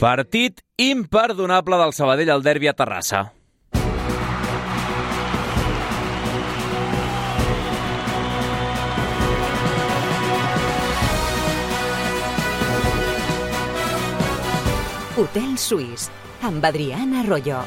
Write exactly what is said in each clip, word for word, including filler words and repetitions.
Partit imperdonable del Sabadell al derbi a Terrassa. Hotel Suís, amb Adriana Arroyo.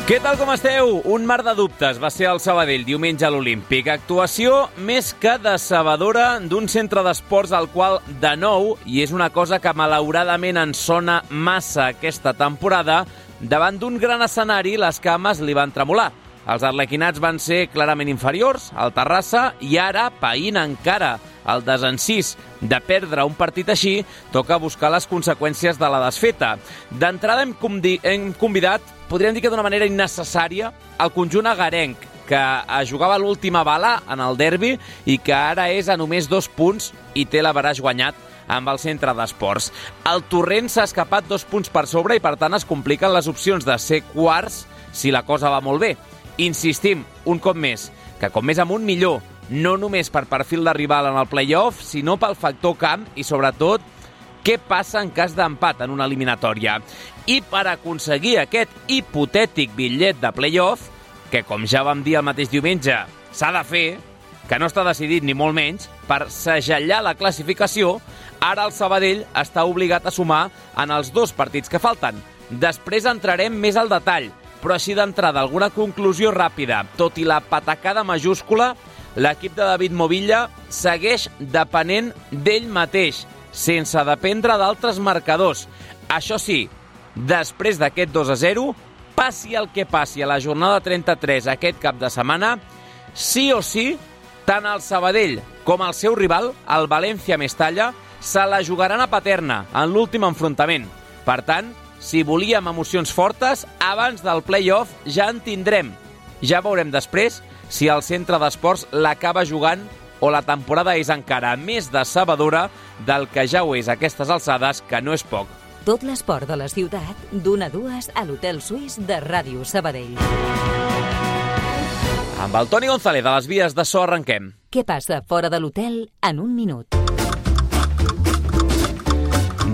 Què tal, com esteu? Un mar de dubtes va ser el Sabadell diumenge a l'Olímpic. Actuació més que decebedora d'un centre d'esports al qual, de nou, i és una cosa que malauradament ens sona massa aquesta temporada, davant d'un gran escenari les cames li van tremolar. Els arlequinats van ser clarament inferiors al Terrassa i ara, païnt encara el desencís de perdre un partit així, toca buscar les conseqüències de la desfeta. D'entrada hem, convi- hem convidat, podríem dir que d'una manera innecessària, el conjunt agarenc, que jugava l'última bala en el derbi i que ara és a només dos punts i té l'averaix guanyat amb el centre d'esports. El Torrent s'ha escapat dos punts per sobre i per tant es compliquen les opcions de ser quarts si la cosa va molt bé. Insistim, un cop més, que com més amunt millor, no només per perfil de rival en el play-off, sinó pel factor camp i, sobretot, què passa en cas d'empat en una eliminatòria. I per aconseguir aquest hipotètic bitllet de play-off, que com ja vam dir el mateix diumenge, s'ha de fer, que no està decidit ni molt menys, per segellar la classificació, ara el Sabadell està obligat a sumar en els dos partits que falten. Després entrarem més al detall, però així d'entrada alguna conclusió ràpida. Tot i la patacada majúscula, l'equip de David Movilla segueix depenent d'ell mateix, sense dependre d'altres marcadors. Això sí, després d'aquest dos a zero, passi el que passi a la jornada trenta-tres aquest cap de setmana, sí o sí, tant el Sabadell com el seu rival, el València Mestalla, se la jugaran a Paterna en l'últim enfrontament. Per tant, si volíem emocions fortes, abans del play-off ja en tindrem. Ja veurem després si el centre d'esports l'acaba jugant o la temporada és encara més decebedora del que ja ho és a aquestes alçades, que no és poc. Tot l'esport de la ciutat, d'una a dues a l'Hotel Suís de Ràdio Sabadell. Amb el Toni González de les vies de so arrenquem. Què passa fora de l'hotel en un minut?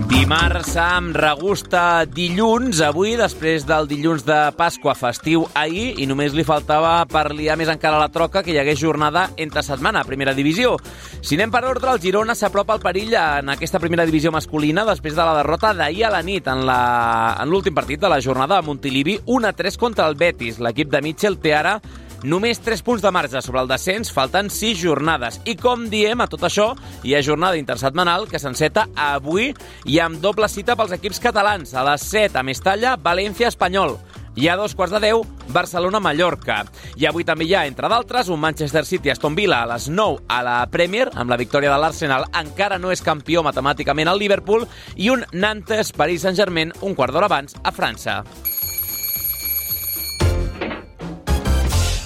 Dimarts amb regusta dilluns, avui, després del dilluns de Pasqua festiu ahir, i només li faltava per liar més encara la troca que hi hagués jornada entre setmana a primera divisió. Si anem per ordre, el Girona s'apropa al perill en aquesta primera divisió masculina després de la derrota d'ahir a la nit en la, en l'últim partit de la jornada a Montilivi, un a tres contra el Betis. L'equip de Mitchell té ara només tres punts de marge sobre el descens, faltant sis jornades. I com diem, a tot això, hi ha jornada intersetmanal que s'enceta avui i amb doble cita pels equips catalans. A les set a Mestalla, València, Espanyol. I a dos quarts de deu, Barcelona-Mallorca. I avui també hi ha, entre d'altres, un Manchester City-Aston Villa a les nou a la Premier, amb la victòria de l'Arsenal. Encara no és campió matemàticament al Liverpool. I un Nantes-Paris Saint-Germain un quart d'hora abans a França.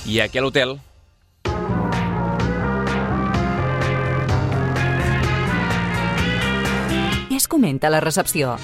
I aquí a l'hotel. Què es comenta a la recepció?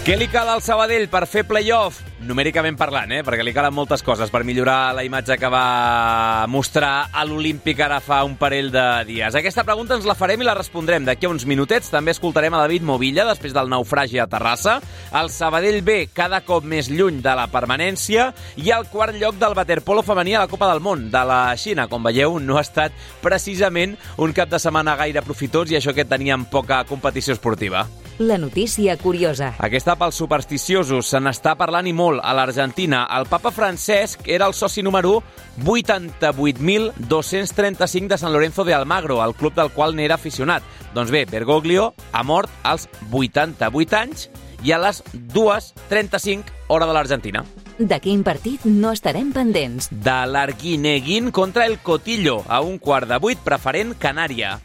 Què li cal al Sabadell per fer play-off? Numèricament parlant, eh? Perquè li calen moltes coses per millorar la imatge que va mostrar a l'Olímpic ara fa un parell de dies. Aquesta pregunta ens la farem i la respondrem d'aquí a uns minutets. També escoltarem a David Movilla després del naufragi a Terrassa. El Sabadell ve cada cop més lluny de la permanència i el quart lloc del waterpolo femení a la Copa del Món de la Xina. Com veieu, no ha estat precisament un cap de setmana gaire profitós i això que teníem poca competició esportiva. La notícia curiosa. Aquesta pels supersticiosos, se n'està parlant i molt a l'Argentina. El papa Francesc era el soci número vuitanta-vuit mil dos-cents trenta-cinc de San Lorenzo de Almagro, el club del qual n'era aficionat. Doncs bé, Bergoglio ha mort als vuitanta-vuit anys i a les dues trenta-cinc hora de l'Argentina. De quin partit no estarem pendents? De l'Arguineguín contra el Cotillo, a un quart de vuit, preferent Canària.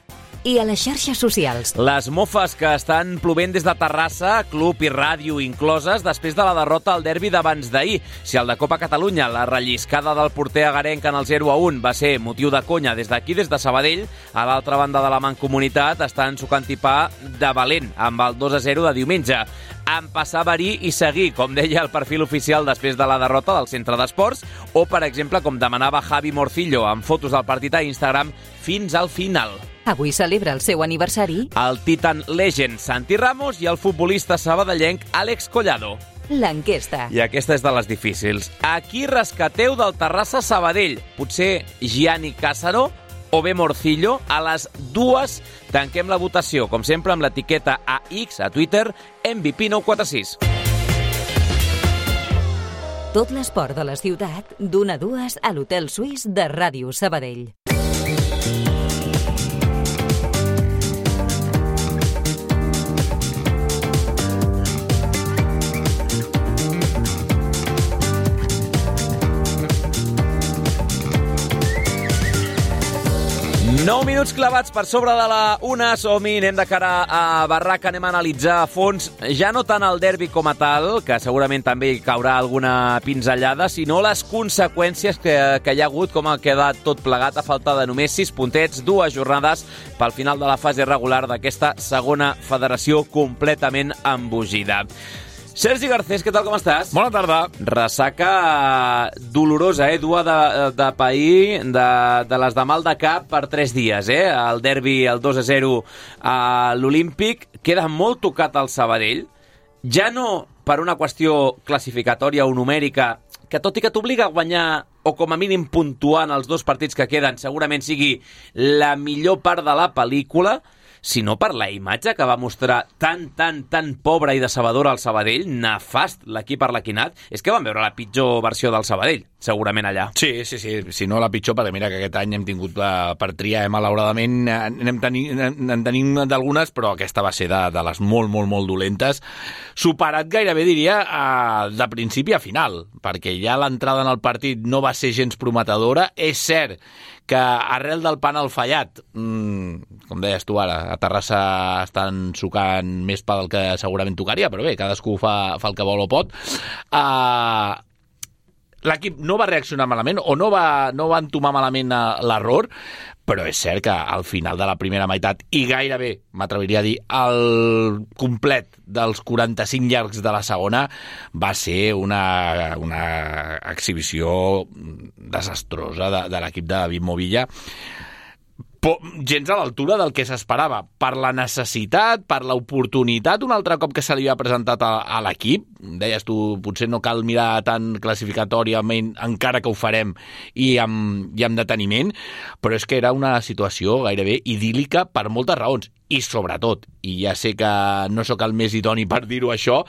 I a les xarxes socials. Les mofes que estan plovent des de Terrassa, club i ràdio incloses, després de la derrota al derbi d'abans d'ahir. Si el de Copa Catalunya, la relliscada del porter agarenc en el zero a un va ser motiu de conya des d'aquí, des de Sabadell, a l'altra banda de la mancomunitat estan sucant tipar de valent amb el dos a zero de diumenge. empassar verí i seguir, com deia el perfil oficial després de la derrota del centre d'esports, o, per exemple, com demanava Javi Morcillo amb fotos del partit a Instagram, fins al final. Avui celebra el seu aniversari El Titan Legend Santi Ramos i el futbolista sabadellenc Àlex Collado. l'enquesta. I aquesta és de les difícils. A qui rescateu del Terrassa Sabadell? Potser Gianni Càssaro o bé Morcillo? A les dues tanquem la votació, com sempre, amb l'etiqueta a X, a Twitter, M V P nou quatre sis. Tot l'esport de la ciutat, d'una a dues a l'Hotel Suís de Ràdio Sabadell. nou minuts clavats per sobre de la una. Som-hi, anem de cara a Barraca, anem a analitzar a fons, ja no tant el derbi com a tal, que segurament també hi caurà alguna pinzellada, sinó les conseqüències que, que hi ha hagut, com ha quedat tot plegat a falta de només sis puntets, dues jornades pel final de la fase regular d'aquesta segona federació completament embogida. Sergi Garcés, què tal, com estàs? Bona tarda. Ressaca dolorosa, eh? Dua de, de pair, de, de les de mal de cap per tres dies, eh? El derbi, el dos a zero a l'Olímpic. Queda molt tocat al Sabadell. Ja no per una qüestió classificatòria o numèrica, que tot i que t'obliga a guanyar o com a mínim puntuar en els dos partits que queden, segurament sigui la millor part de la pel·lícula, sinó per la imatge que va mostrar tan, tan, tan pobra i decebedora al Sabadell, nefast l'equip arlequinat. És que vam veure la pitjor versió del Sabadell, segurament allà. Sí, sí, sí, si no la pitjor, perquè mira que aquest any hem tingut la, per triar, eh, malauradament, n'hem tenint, en tenim d'algunes, però aquesta va ser de, de les molt, molt, molt dolentes. Superat gairebé, diria, a, de principi a final, perquè ja l'entrada en el partit no va ser gens prometedora. És cert que arrel del penal fallat, mmm, com deies tu ara, a Terrassa estan sucant més pa del que segurament tocaria, però bé, cadascú fa, fa el que vol o pot. Uh, l'equip no va reaccionar malament o no va, no va entomar malament l'error, però és cert que al final de la primera meitat, i gairebé, m'atreviria a dir, el complet dels quaranta-cinc llargs de la segona, va ser una, una exhibició desastrosa de, de l'equip de David Movilla. Po, gens a l'altura del que s'esperava, per la necessitat, per l'oportunitat un altre cop que se li ha presentat a, a l'equip. Deies tu, potser no cal mirar tan classificatòriament, encara que ho farem, i amb, i amb deteniment, però és que era una situació gairebé idíl·lica per moltes raons, i sobretot, i ja sé que no sóc el més idoni per dir-ho això,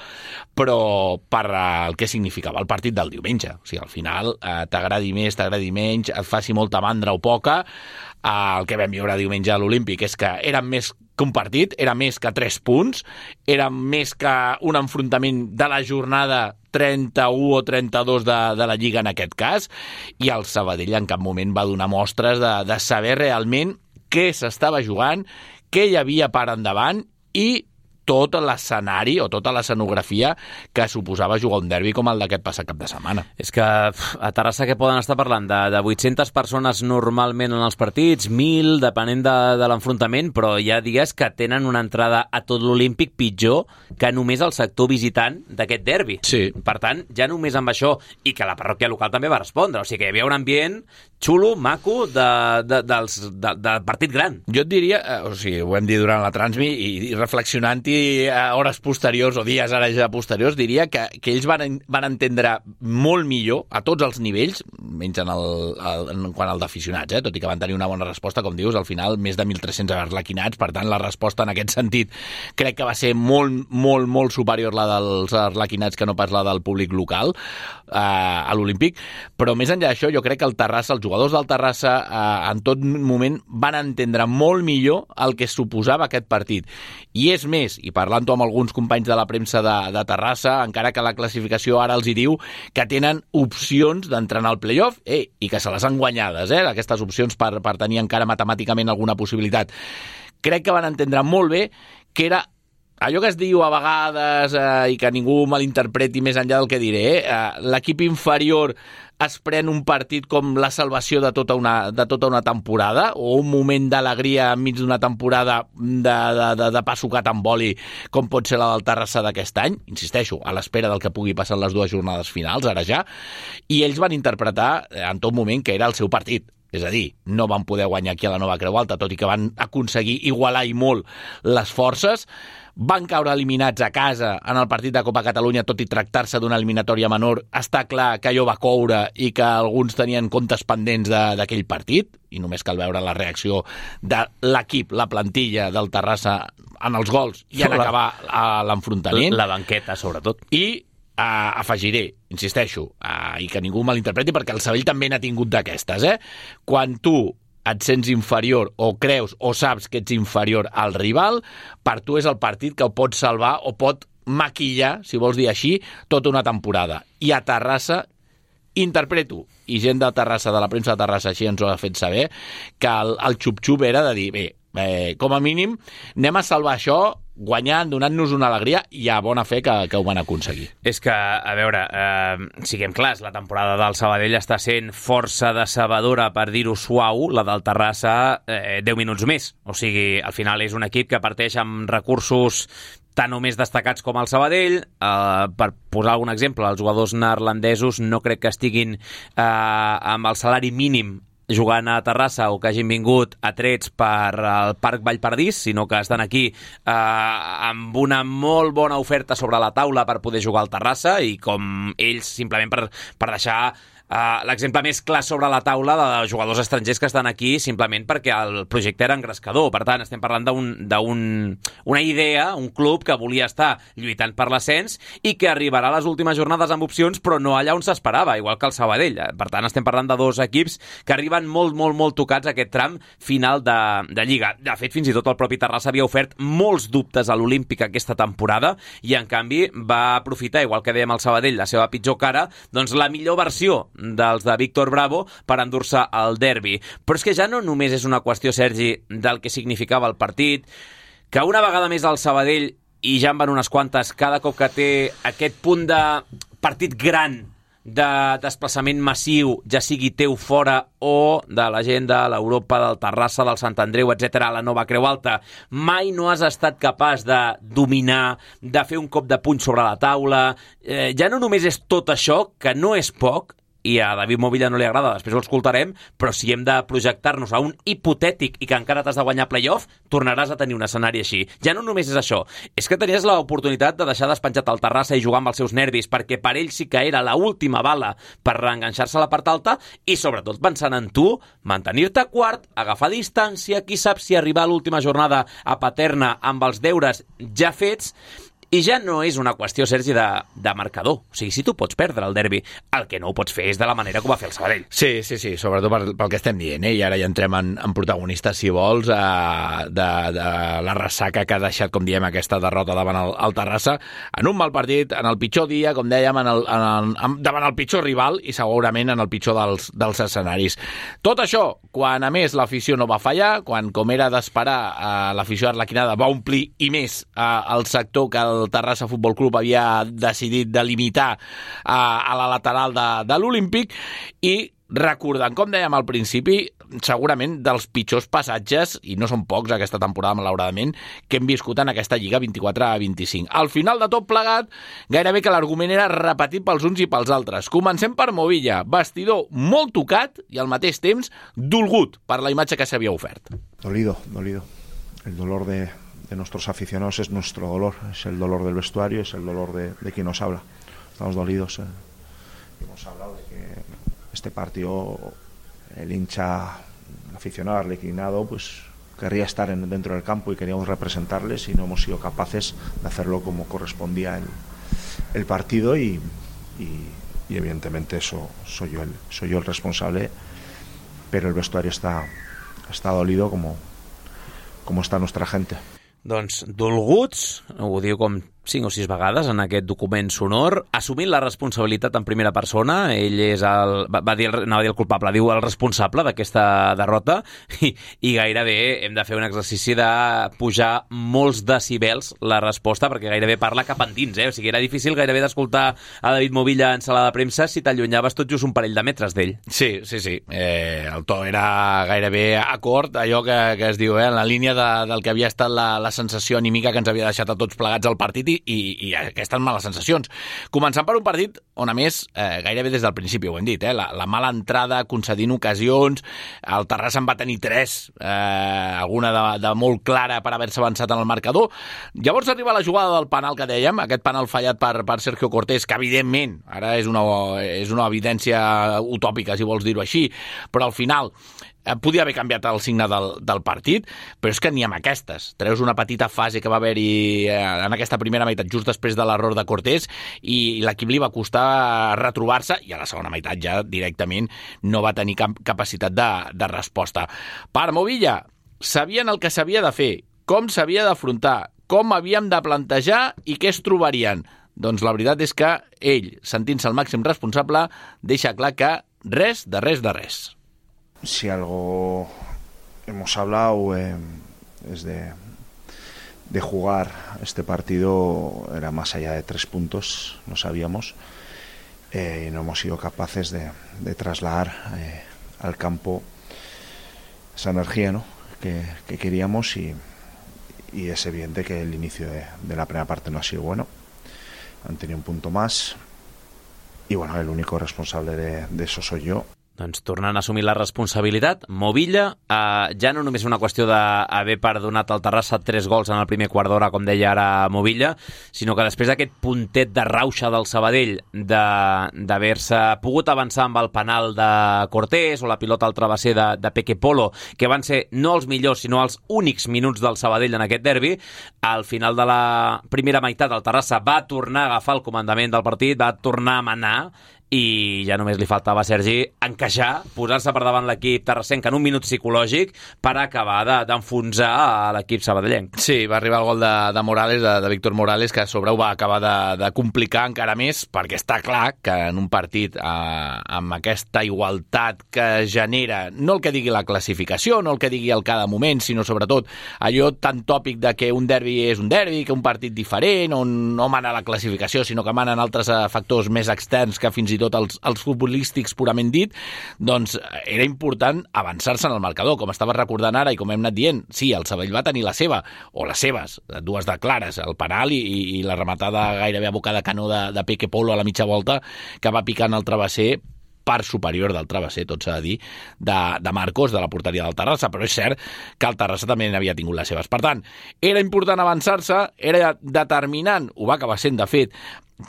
però per el que significava el partit del diumenge. O sigui, al final, eh, t'agradi més, t'agradi menys, et faci molta mandra o poca, el que vam viure diumenge a l'Olímpic és que eren més que un partit, era més que tres punts, era més que un enfrontament de la jornada trenta-u o trenta-dos de, de la Lliga en aquest cas, i el Sabadell en cap moment va donar mostres de, de saber realment què s'estava jugant, què hi havia per endavant i tot l'escenari o tota l'escenografia que suposava jugar un derbi com el d'aquest passat cap de setmana. És que a Terrassa que poden estar parlant de, de vuit-centes persones normalment en els partits, mil, depenent de, de l'enfrontament, però hi ha dies que tenen una entrada a tot l'Olímpic pitjor que només el sector visitant d'aquest derbi. Sí. Per tant, ja només amb això, i que la parròquia local també va respondre, o sigui que hi havia un ambient xulo, maco, de, de, dels, de, de partit gran. Jo et diria, o sigui, ho hem dit durant la transmi, i, i reflexionant-hi a hores posteriors o dies ara ja posteriors, diria que, que ells van, van entendre molt millor a tots els nivells, menys en, el, el, en quant al d'aficionats, eh? Tot i que van tenir una bona resposta, com dius, al final més de mil tres-cents arlequinats, per tant la resposta en aquest sentit crec que va ser molt, molt, molt superior la dels arlequinats que no pas la del públic local eh, a l'Olímpic, però més enllà d'això jo crec que el Terrassa, els jugadors del Terrassa eh, en tot moment van entendre molt millor el que suposava aquest partit, i és més, i parlant-ho amb alguns companys de la premsa de, de Terrassa, encara que la classificació ara els hi diu que tenen opcions d'entrar en el playoff, eh, i que se les han guanyades, eh, aquestes opcions per, per tenir encara matemàticament alguna possibilitat. Crec que van entendre molt bé que era allò que es diu a vegades eh, i que ningú malinterpreti més enllà del que diré, eh, l'equip inferior es pren un partit com la salvació de tota una, de tota una temporada o un moment d'alegria enmig d'una temporada de, de, de, de pa sucat amb oli com pot ser la del Terrassa d'aquest any, insisteixo, a l'espera del que pugui passar en les dues jornades finals, ara ja, i ells van interpretar en tot moment que era el seu partit. És a dir, no van poder guanyar aquí a la Nova Creu Alta, tot i que van aconseguir igualar i molt les forces. Van caure eliminats a casa en el partit de Copa Catalunya, tot i tractar-se d'una eliminatòria menor. Està clar que allò va coure i que alguns tenien comptes pendents d'aquell partit, i només cal veure la reacció de l'equip, la plantilla del Terrassa en els gols i en acabar l'enfrontament. La banqueta, sobretot. I Uh, afegiré, insisteixo, uh, i que ningú malinterpreti, perquè el Sabadell també n'ha tingut d'aquestes, eh? Quan tu et sents inferior o creus o saps que ets inferior al rival, per tu és el partit que ho pot salvar o pot maquillar, si vols dir així, tota una temporada. I a Terrassa, interpreto, i gent de Terrassa, de la premsa de Terrassa així ens ho ha fet saber, que el, el xup-xup era de dir, bé, eh, com a mínim anem a salvar això guanyant, donant-nos una alegria, i a bona fe que, que ho van aconseguir. És que, a veure, eh, siguem clars, la temporada del Sabadell està sent força decebedora, per dir-ho suau, la del Terrassa eh, deu minuts més. O sigui, al final és un equip que parteix amb recursos tan o més destacats com el Sabadell. Eh, per posar algun exemple, els jugadors neerlandesos no crec que estiguin eh, amb el salari mínim jugant a Terrassa o que hagin vingut atrets per al Parc Vallpardís, sinó que estan aquí eh, amb una molt bona oferta sobre la taula per poder jugar al Terrassa, i com ells, simplement per, per deixar Uh, l'exemple més clar sobre la taula de jugadors estrangers que estan aquí simplement perquè el projecte era engrescador. Per tant, estem parlant d'una idea, un club que volia estar lluitant per l'ascens i que arribarà a les últimes jornades amb opcions, però no allà on s'esperava, igual que el Sabadell. Per tant, estem parlant de dos equips que arriben molt, molt, molt tocats a aquest tram final de, de Lliga. De fet, fins i tot el propi Terrassa havia ofert molts dubtes a l'Olímpic aquesta temporada i, en canvi, va aprofitar, igual que dèiem el Sabadell, la seva pitjor cara, doncs la millor versió dels de Víctor Bravo per endur-se el derbi. Però és que ja no només és una qüestió, Sergi, del que significava el partit, que una vegada més el Sabadell, i ja en van unes quantes, cada cop que té aquest punt de partit gran, de desplaçament massiu, ja sigui teu fora o de la gent de l'Europa, del Terrassa, del Sant Andreu, etcètera, a la Nova Creu Alta, mai no has estat capaç de dominar, de fer un cop de puny sobre la taula. Eh, ja no només és tot això, que no és poc, i a David Movilla no li agrada, després ho escoltarem, però si hem de projectar-nos a un hipotètic i que encara t'has de guanyar playoff, tornaràs a tenir un escenari així. Ja no només és això, és que tenies l'oportunitat de deixar despenjat el Terrassa i jugar amb els seus nervis, perquè per ell sí que era l'última bala per reenganxar-se a la part alta, i sobretot pensant en tu, mantenir-te quart, agafar distància, qui sap si arribar a l'última jornada a Paterna amb els deures ja fets. I ja no és una qüestió, Sergi, de, de marcador. O sigui, si tu pots perdre el derbi, el que no ho pots fer és de la manera que ho va fer el Sabadell. Sí, sí, sí, sobretot per, pel que estem dient, eh? I ara ja entrem en, en protagonistes, si vols, eh, de, de la ressaca que ha deixat, com diem, aquesta derrota davant el, el Terrassa, en un mal partit, en el pitjor dia, com dèiem, en el, en el, en, davant el pitjor rival i segurament en el pitjor dels, dels escenaris. Tot això, quan a més l'afició no va fallar, quan, com era d'esperar, eh, l'afició arlequinada va omplir i més eh, el sector que el el Terrassa Futbol Club havia decidit de limitar a, a la lateral de, de l'Olímpic, i recordant, com dèiem al principi, segurament dels pitjors passatges, i no són pocs aquesta temporada, malauradament, que hem viscut en aquesta Lliga vint-i-quatre a vint-i-cinc. Al final de tot plegat, gairebé que l'argument era repetit pels uns i pels altres. Comencem per Movilla, vestidor molt tocat i al mateix temps dolgut per la imatge que s'havia ofert. Dolido, dolido. El dolor de... de nuestros aficionados es nuestro dolor, es el dolor del vestuario, es el dolor de, de quien nos habla. Estamos dolidos. Eh. Hemos hablado de que este partido, el hincha, el aficionado arlequinado, pues querría estar en, dentro del campo y queríamos representarles, y no hemos sido capaces de hacerlo como correspondía el, el partido, y, y, y evidentemente eso soy yo el, soy yo el responsable, pero el vestuario está, está dolido como, como está nuestra gente. Doncs dolguts, ho diu com cinc o sis vegades en aquest document sonor, assumint la responsabilitat en primera persona. Ell és el, va, va dir, el, no va dir el culpable, diu el responsable d'aquesta derrota, i, i gairebé hem de fer un exercici de pujar molts decibels la resposta, perquè gairebé parla cap endins, eh? O sigui, era difícil gairebé d'escoltar a David Movilla en sala de premsa si t'allunyaves tot just un parell de metres d'ell. Sí, sí, sí. Eh, el to era gairebé acord, allò que, que es diu, eh, en la línia de, del que havia estat la, la sensació anímica que ens havia deixat a tots plegats al partit, i, i aquestes males sensacions. Començant per un partit on, a més, eh, gairebé des del principi ho hem dit, eh, la, la mala entrada, concedint ocasions, el Terrassa en va tenir tres, eh, alguna de, de molt clara per haver-se avançat en el marcador. Llavors arriba la jugada del penal que dèiem, aquest penal fallat per, per Sergio Cortés, que evidentment, ara és una, és una evidència utòpica, si vols dir-ho així, però al final podia haver canviat el signe del, del partit, però és que ni amb aquestes. Treus una petita fase que va haver-hi en aquesta primera meitat, just després de l'error de Cortés, i l'equip li va costar retrobar-se, i a la segona meitat ja directament no va tenir cap capacitat de, de resposta. Per Movilla, sabien el que s'havia de fer, com s'havia d'afrontar, com havíem de plantejar i què es trobarien. Doncs la veritat és que ell, sentint-se el màxim responsable, deixa clar que res de res de res. Si algo hemos hablado eh, es de, de jugar este partido, era más allá de tres puntos, no sabíamos, eh, y no hemos sido capaces de, de trasladar eh, al campo esa energía, ¿no?, que, que queríamos, y, y es evidente que el inicio de, de la primera parte no ha sido bueno. Han tenido un punto más y bueno, el único responsable de, de eso soy yo. Doncs tornant a assumir la responsabilitat, Movilla, eh, ja no només una qüestió d'haver perdonat al Terrassa tres gols en el primer quart d'hora, com deia ara Movilla, sinó que després d'aquest puntet de rauxa del Sabadell d'haver-se pogut avançar amb el penal de Cortés o la pilota al travesser de, de Peque Polo, que van ser no els millors sinó els únics minuts del Sabadell en aquest derbi, al final de la primera meitat el Terrassa va tornar a agafar el comandament del partit, va tornar a manar, i ja només li faltava a Sergi encaixar, posar-se per davant l'equip terrassenc en un minut psicològic per acabar d'enfonsar a l'equip sabadellenc. Sí, va arribar el gol de, de Morales, de, de Víctor Morales, que a sobre ho va acabar de, de complicar encara més, perquè està clar que en un partit eh, amb aquesta igualtat que genera, no el que digui la classificació, no el que digui el cada moment, sinó sobretot allò tan tòpic de que un derbi és un derbi, que un partit diferent, on no mana la classificació, sinó que manen altres factors més externs que fins i tot els, els futbolístics purament dit, doncs era important avançar-se en el marcador, com estava recordant ara i com hem anat dient. Sí, el Sabadell va tenir la seva, o les seves, dues de clares, el penal i, i la rematada gairebé a boca de canó de, de Peque Polo a la mitja volta, que va picant el travesser, part superior del travesser, tot s'ha de dir, de, de Marcos, de la porteria del Terrassa, però és cert que el Terrassa també n'havia tingut les seves. Per tant, era important avançar-se, era determinant, ho va acabar sent, de fet,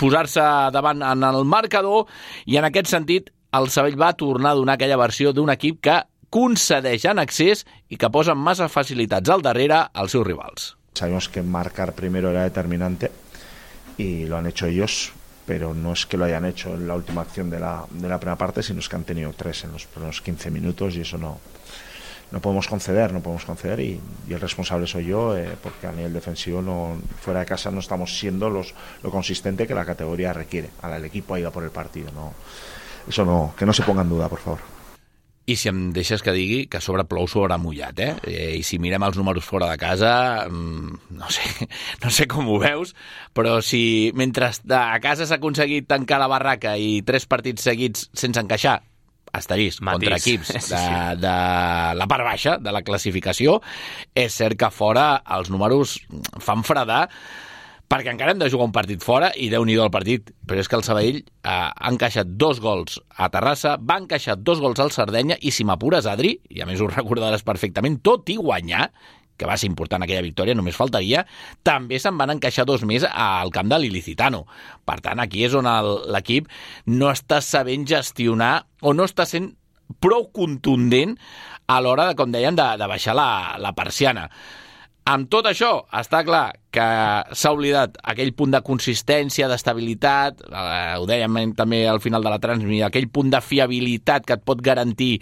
posar-se davant en el marcador, i en aquest sentit el Sabadell va tornar a donar aquella versió d'un equip que concedeix en excés i que posa massa facilitats al darrere als seus rivals. Sabemos que marcar primero era determinante y lo han hecho ellos, pero no es que lo hayan hecho en la última acción de la, de la primera parte, sino es que han tenido tres en los primeros quince minutos, y eso no, no podemos conceder, no podemos conceder, y, y el responsable soy yo, eh, porque a nivel defensivo no, fuera de casa no estamos siendo los, lo consistente que la categoría requiere. Ahora el equipo ha ido por el partido, no, eso no, que no se ponga en duda, por favor. I si em deixes que digui que a sobre plou sobre mullat, eh? I si mirem els números fora de casa, no sé, no sé com ho veus, però si mentre a casa s'ha aconseguit tancar la barraca i tres partits seguits sense encaixar, asterisc, contra equips de, de la part baixa de la classificació, és cert que fora els números fan fredar, perquè encara hem de jugar un partit fora i Déu-n'hi-do el partit, però és que el Sabadell eh, ha encaixat dos gols a Terrassa, va encaixar dos gols al Sardenya, i si m'apures, Adri, i a més ho recordaràs perfectament, tot i guanyar, que va ser important aquella victòria, només faltaria, també se'n van encaixar dos més al camp de l'Ilicitano. Per tant, aquí és on l'equip no està sabent gestionar o no està sent prou contundent a l'hora, de, com deien, de, de baixar la, la persiana. Amb tot això, està clar que s'ha oblidat aquell punt de consistència, d'estabilitat, eh, ho dèiem també al final de la transmissió, aquell punt de fiabilitat que et pot garantir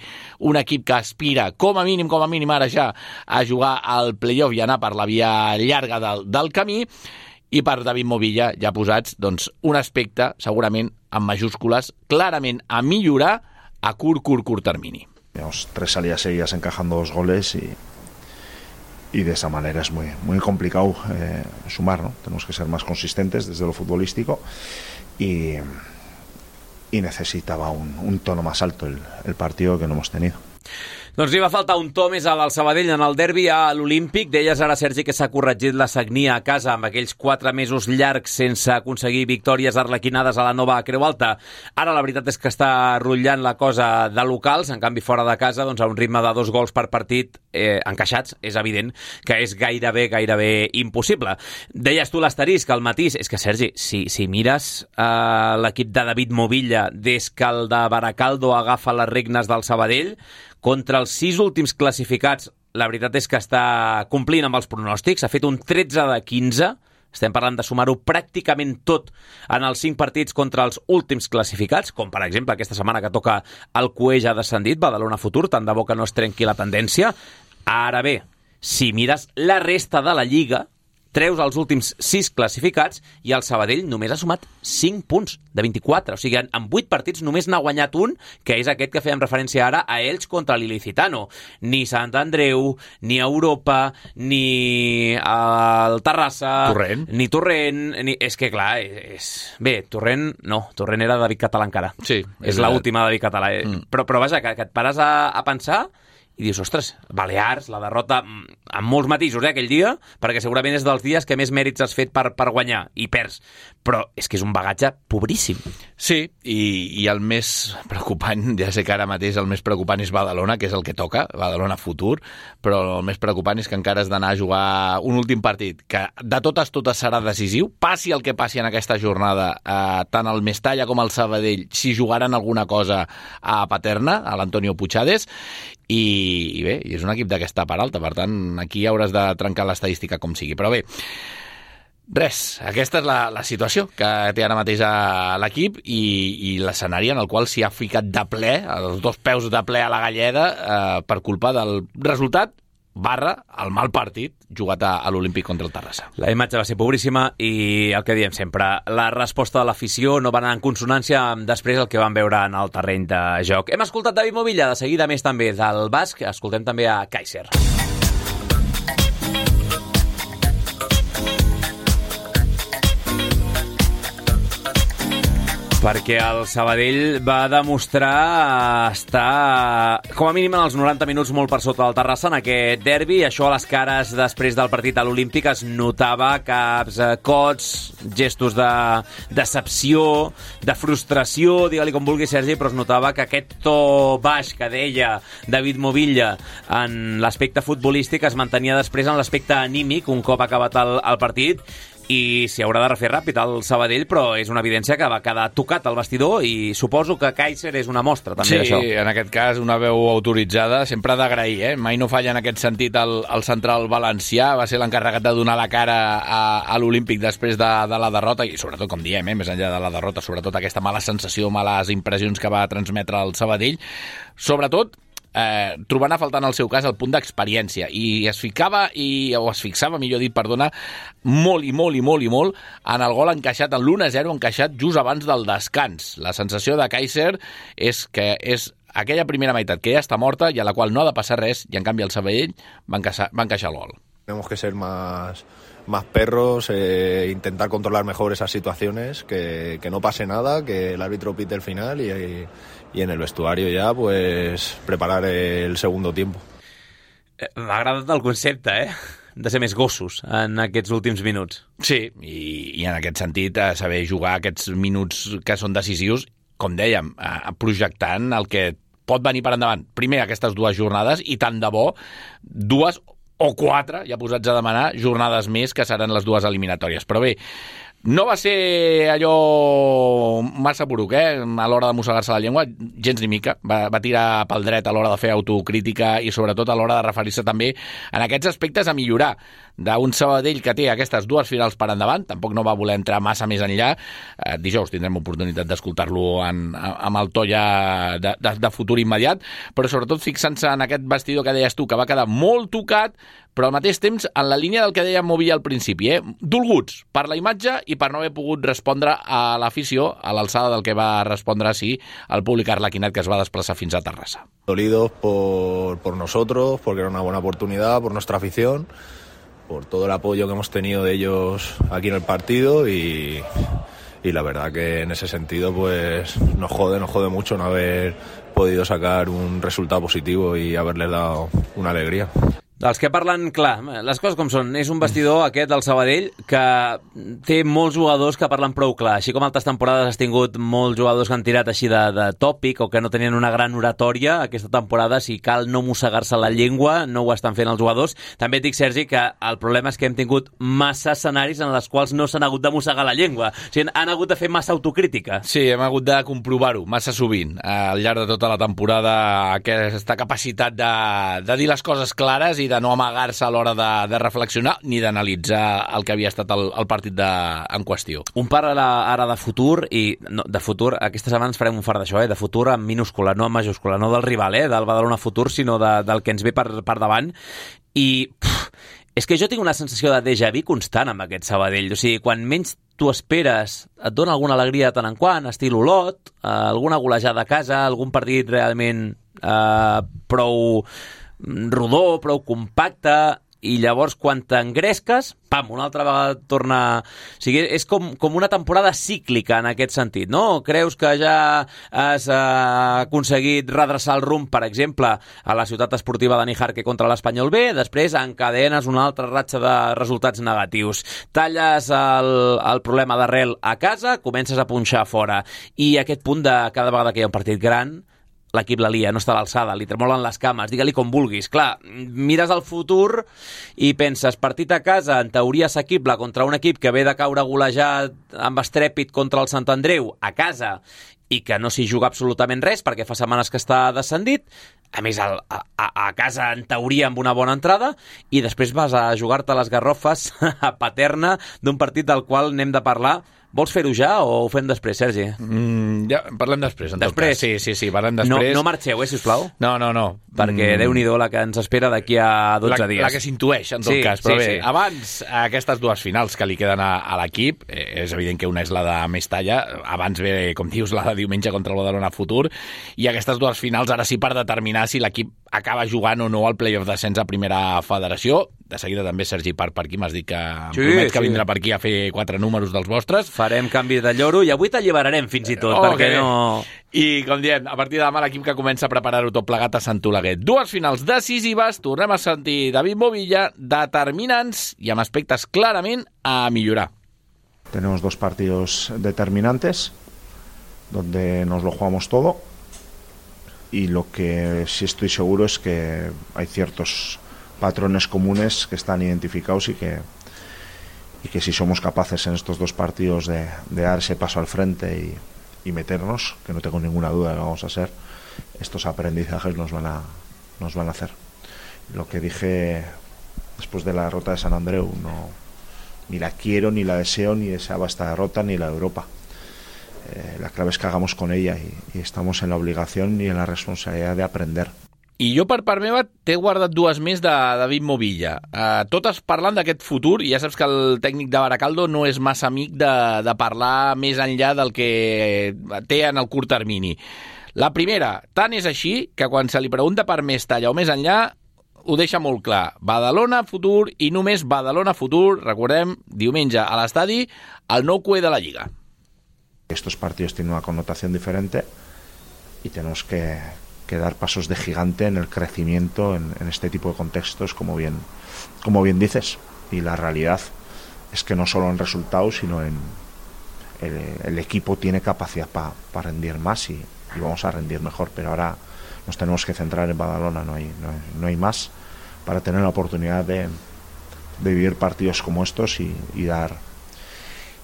un equip que aspira, com a mínim, com a mínim ara ja, a jugar al play-off i anar per la via llarga del, del camí, i per David Movilla, ja posats, doncs, un aspecte, segurament, en majúscules, clarament a millorar a curt, curt, curt termini. Tenemos tres salidas seguidas encajando dos goles y, y de esa manera es muy, muy complicado eh, sumar, ¿no? Tenemos que ser más consistentes desde lo futbolístico y, y necesitaba un, un tono más alto el, el partido que no hemos tenido. Doncs li va faltar un to més al Sabadell en el derbi a l'Olímpic. Deies ara, Sergi, que s'ha corregit la sagnia a casa amb aquells quatre mesos llargs sense aconseguir victòries arlequinades a la nova Creu Alta. Ara la veritat és que està rotllant la cosa de locals, en canvi fora de casa, doncs a un ritme de dos gols per partit eh, encaixats, és evident que és gairebé, gairebé impossible. Deies tu l'asterisc, el matís. És que, Sergi, si, si mires eh, l'equip de David Movilla des que el de Baracaldo agafa les regnes del Sabadell, contra els sis últims classificats, la veritat és que està complint amb els pronòstics, ha fet un tretze de quinze, estem parlant de sumar-ho pràcticament tot en els cinc partits contra els últims classificats, com per exemple aquesta setmana que toca el Cué ja descendit, Badalona Futur, tant de bo que no es trenqui la tendència. Ara bé, si mires la resta de la Lliga, treus els últims sis classificats i el Sabadell només ha sumat cinc punts de vint-i-quatre. O sigui, en, en vuit partits només n'ha guanyat un, que és aquest que fèiem referència ara a Elx contra l'Ilicitano. Ni Sant Andreu, ni Europa, ni el Terrassa... Torrent. Ni Torrent. Ni... És que, clar, és... Bé, Torrent... No, Torrent era David Català encara. Sí. És, és l'última David Català. Mm. Però, però vaja, que, que et pares a, a pensar... i dius, ostres, Balears, la derrota amb molts matisos, eh, aquell dia, perquè segurament és dels dies que més mèrits has fet per, per guanyar, i perds. Però és que és un bagatge pobríssim. Sí, i, i el més preocupant, ja sé que ara mateix el més preocupant és Badalona, que és el que toca, Badalona Futur, però el més preocupant és que encara has d'anar a jugar un últim partit, que de totes, totes serà decisiu, passi el que passi en aquesta jornada, eh, tant el Mestalla com el Sabadell, si jugaran alguna cosa a Paterna, a l'Antonio Puigades, i, i bé, és un equip d'aquesta part alta, per tant, aquí hauràs de trencar l'estadística com sigui. Però bé, res, aquesta és la, la situació que té ara mateix a l'equip i, i l'escenari en el qual s'hi ha ficat de ple, els dos peus de ple a la galleda, eh, per culpa del resultat barra el mal partit jugat a, a l'Olímpic contra el Terrassa. La imatge va ser pobríssima i el que diem sempre, la resposta de l'afició no va anar en consonància amb després el que van veure en el terreny de joc. Hem escoltat David Movilla, de seguida més també del Basc, escoltem també a Kaiser. Perquè el Sabadell va demostrar estar, com a mínim en els noranta minuts, molt per sota del Terrassa en aquest derbi. Això a les cares després del partit a l'Olímpic es notava caps, cots, gestos de decepció, de frustració, digue-li com vulgui, Sergi, però es notava que aquest to baix que deia David Movilla en l'aspecte futbolístic es mantenia després en l'aspecte anímic un cop acabat el, el partit. I s'hi haurà de refer ràpid al Sabadell, però és una evidència que va quedar tocat al vestidor i suposo que Kaiser és una mostra també sí, d'això. Sí, en aquest cas una veu autoritzada, sempre d'agrair, eh? Mai no falla en aquest sentit el, el central valencià, va ser l'encarregat de donar la cara a, a l'Olímpic després de, de la derrota i sobretot, com diem, eh? Més enllà de la derrota, sobretot aquesta mala sensació, males impressions que va transmetre el Sabadell, sobretot Eh, trobant a faltar en el seu cas el punt d'experiència i es ficava, i, o es fixava millor dit, perdona, molt i molt i molt i molt en el gol encaixat, en l'u a zero encaixat just abans del descans. La sensació de Kaiser és que és aquella primera meitat que ja està morta i a la qual no ha de passar res i en canvi el Sabadell va encaixar, va encaixar el gol. Tenemos que ser más, más perros, eh, intentar controlar mejor esas situaciones, que, que no pase nada, que el árbitro pite el final y, y, y en el vestuario ya pues preparar el segundo tiempo. M'ha agradat el concepte, eh? De ser més gossos en aquests últims minuts. Sí, i, i en aquest sentit saber jugar aquests minuts que són decisius, com dèiem, projectant el que pot venir per endavant. Primer aquestes dues jornades i tant de bo dues o quatre, ja posats a demanar, jornades més que seran les dues eliminatòries. Però bé, no va ser allò massa poruc, eh? A l'hora de mossegar-se la llengua, gens ni mica. Va, va tirar pel dret a l'hora de fer autocrítica i sobretot a l'hora de referir-se també en aquests aspectes a millorar d'un Sabadell que té aquestes dues finals per endavant. Tampoc no va voler entrar massa més enllà. Eh, dijous tindrem oportunitat d'escoltar-lo en, amb el to ja de, de, de futur immediat, però sobretot fixant-se en aquest vestidor que deies tu, que va quedar molt tocat però al mateix temps en la línia del que deia Movilla al principi, eh? dolguts per la imatge i per no haver pogut respondre a l'afició a l'alçada del que va respondre sí el públic arlequinat que es va desplaçar fins a Terrassa. Dolidos por, por nosotros, porque era una buena oportunidad, por nuestra afición, por todo el apoyo que hemos tenido de ellos aquí en el partido y, y la verdad que en ese sentido pues nos jode, nos jode mucho no haber podido sacar un resultado positivo y haberles dado una alegría. Dels que parlen, clar, les coses com són. És un vestidor, aquest, del Sabadell, que té molts jugadors que parlen prou clar. Així com altres temporades has tingut molts jugadors que han tirat així de, de tòpic o que no tenien una gran oratòria, aquesta temporada, si cal no mossegar-se la llengua, no ho estan fent els jugadors. També et dic, Sergi, que el problema és que hem tingut massa escenaris en els quals no s'han hagut de mossegar la llengua. O sigui, han hagut de fer massa autocrítica. Sí, hem hagut de comprovar-ho massa sovint al llarg de tota la temporada, aquesta capacitat de, de dir les coses clares i de no amagar-se a l'hora de, de reflexionar ni d'analitzar el que havia estat el, el partit de, en qüestió. Un parla ara de futur, i no, de futur, aquesta setmana ens farem un fart d'això, eh? De futur en minúscula, no en majúscula, no del rival, eh? Del Badalona Futur, sinó de, del que ens ve per, per davant. I pff, és que jo tinc una sensació de déjà vu constant amb aquest Sabadell. O sigui, quan menys tu esperes, et dona alguna alegria de tant en quant, estil Olot, eh, alguna golejada a casa, algun partit realment eh, prou rodó, prou compacte, i llavors quan t'engresques, pam, una altra vegada torna... O sigui, és com, com una temporada cíclica en aquest sentit, no? Creus que ja has eh, aconseguit redreçar el rumb, per exemple, a la ciutat esportiva de Nijarque contra l'Espanyol B, després encadenes una altra ratxa de resultats negatius. Talles el, el problema d'arrel a casa, comences a punxar fora. I aquest punt de cada vegada que hi ha un partit gran, l'equip la lia, no està a l'alçada, li tremolen les cames, digue-li com vulguis. Clar, mires al futur i penses, partit a casa, en teoria assequible contra un equip que ve de caure golejat amb estrèpit contra el Sant Andreu, a casa, i que no s'hi juga absolutament res perquè fa setmanes que està descendit, a més a, a, a casa en teoria amb una bona entrada, i després vas a jugar-te les garrofes a Paterna d'un partit del qual n'hem de parlar. Vols fer-ho ja o ho fem després, Sergi? Mm, ja, parlem després, en després? tot cas. Sí, sí, sí, parlem després. No, no marxeu, eh, sisplau? No, no, no. Perquè mm. Déu-n'hi-do la que ens espera d'aquí a dotze la, dies. La que s'intueix, en tot sí, cas. Però sí, bé, sí. abans, aquestes dues finals que li queden a, a l'equip, eh, és evident que una és la de Mestalla, abans ve, com dius, la de diumenge contra el Badalona Futur, i aquestes dues finals ara sí per determinar si l'equip acaba jugant o no al play-off d'ascens a primera federació. De seguida també Sergi Parc per aquí, m'has dit que em sí, promet que sí. vindrà per aquí a fer quatre números dels vostres. Farem canvi de lloro i avui t'alliberarem fins i tot, oh, perquè okay. no... I, com diem, a partir de demà l'equip que comença a preparar-ho tot plegat a Sant Oleguer. Dues finals decisives, tornem a sentir David Movilla, determinants i amb aspectes clarament a millorar. Tenemos dos partidos determinantes, donde nos lo jugamos todo, y lo que sí estoy seguro es que hay ciertos patrones comunes que están identificados y que y que si somos capaces en estos dos partidos de, de dar ese paso al frente y, y meternos, que no tengo ninguna duda de que vamos a ser, estos aprendizajes nos van a nos van a hacer. Lo que dije después de la derrota de San Andreu, no, ni la quiero, ni la deseo, ni deseaba esta derrota, ni la de Europa. Eh, la clave es que hagamos con ella y, y estamos en la obligación y en la responsabilidad de aprender. I jo, per part meva, t'he guardat dues més de David Movilla. Uh, totes parlant d'aquest futur, i ja saps que el tècnic de Baracaldo no és massa amic de, de parlar més enllà del que té en el curt termini. La primera, tant és així que quan se li pregunta per Mestalla o més enllà, ho deixa molt clar. Badalona Futur i només Badalona Futur, recordem, diumenge a l'estadi, el nou cué de la Lliga. Estos partidos tienen una connotación diferente y tenemos que... que dar pasos de gigante en el crecimiento en, en este tipo de contextos, como bien, como bien dices. Y la realidad es que no solo en resultados, sino en el, el equipo tiene capacidad para pa rendir más y, y vamos a rendir mejor. Pero ahora nos tenemos que centrar en Badalona, no hay, no hay, no hay más, para tener la oportunidad de, de vivir partidos como estos y, y dar,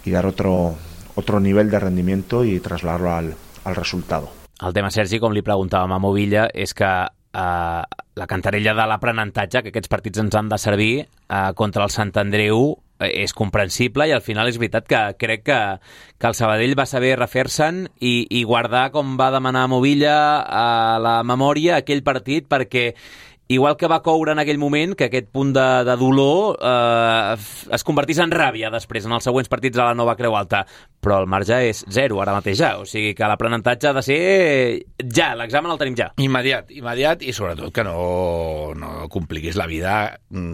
y dar otro, otro nivel de rendimiento y trasladarlo al, al resultado. El tema, Sergi, com li preguntàvem a Movilla, és que eh, la cantarella de l'aprenentatge, que aquests partits ens han de servir eh, contra el Sant Andreu, eh, és comprensible i al final és veritat que crec que, que el Sabadell va saber refer-se'n i, i guardar, com va demanar Movilla, a la memòria aquell partit, perquè igual que va coure en aquell moment, que aquest punt de, de dolor eh, es convertís en ràbia després, en els següents partits a la nova Creu Alta. Però el marge és zero ara mateix ja, o sigui que l'aprenentatge ha de ser ja, l'examen el tenim ja. Immediat, immediat, i sobretot que no, no compliquis la vida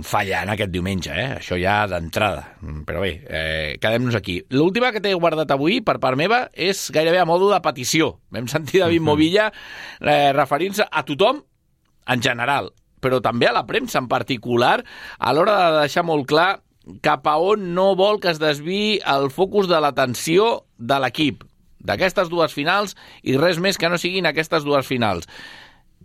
fallant aquest diumenge, eh? Això ja d'entrada. Però bé, eh, quedem-nos aquí. L'última que t'he guardat avui, per part meva, és gairebé a modo de petició. Vam sentir David Movilla eh, referint-se a tothom en general, però també a la premsa en particular, a l'hora de deixar molt clar cap a on no vol que es desviï el focus de l'atenció de l'equip, d'aquestes dues finals i res més que no siguin aquestes dues finals.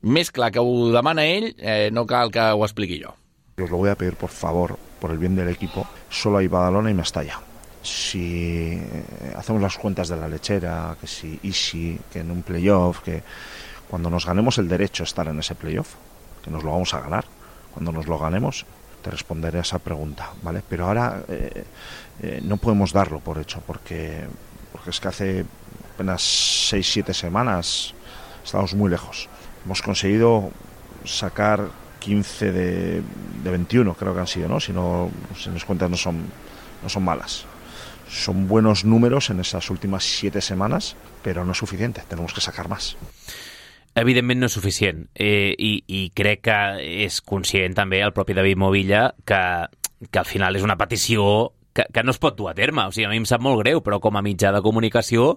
Més clar que ho demana ell, eh, no cal que ho expliqui jo. Os lo voy a pedir, por favor, por el bien del equipo, solo hay Badalona y Mestalla. Si hacemos las cuentas de la lechera, que si easy, que en un playoff, que cuando nos ganemos el derecho a estar en ese playoff, que nos lo vamos a ganar, cuando nos lo ganemos, te responderé a esa pregunta, ¿vale? Pero ahora eh, eh, no podemos darlo por hecho, porque, porque es que hace apenas seis siete semanas estamos muy lejos. Hemos conseguido sacar quince de, de veintiuno, creo que han sido, ¿no? Si no, si mis cuentas no son, no son malas. Son buenos números en esas últimas siete semanas, pero no es suficiente, tenemos que sacar más. Evidentment no és suficient, eh, i, i crec que és conscient també el propi David Movilla que, que al final és una petició que, que no es pot dur a terme. O sigui, a mi em sap molt greu, però com a mitjà de comunicació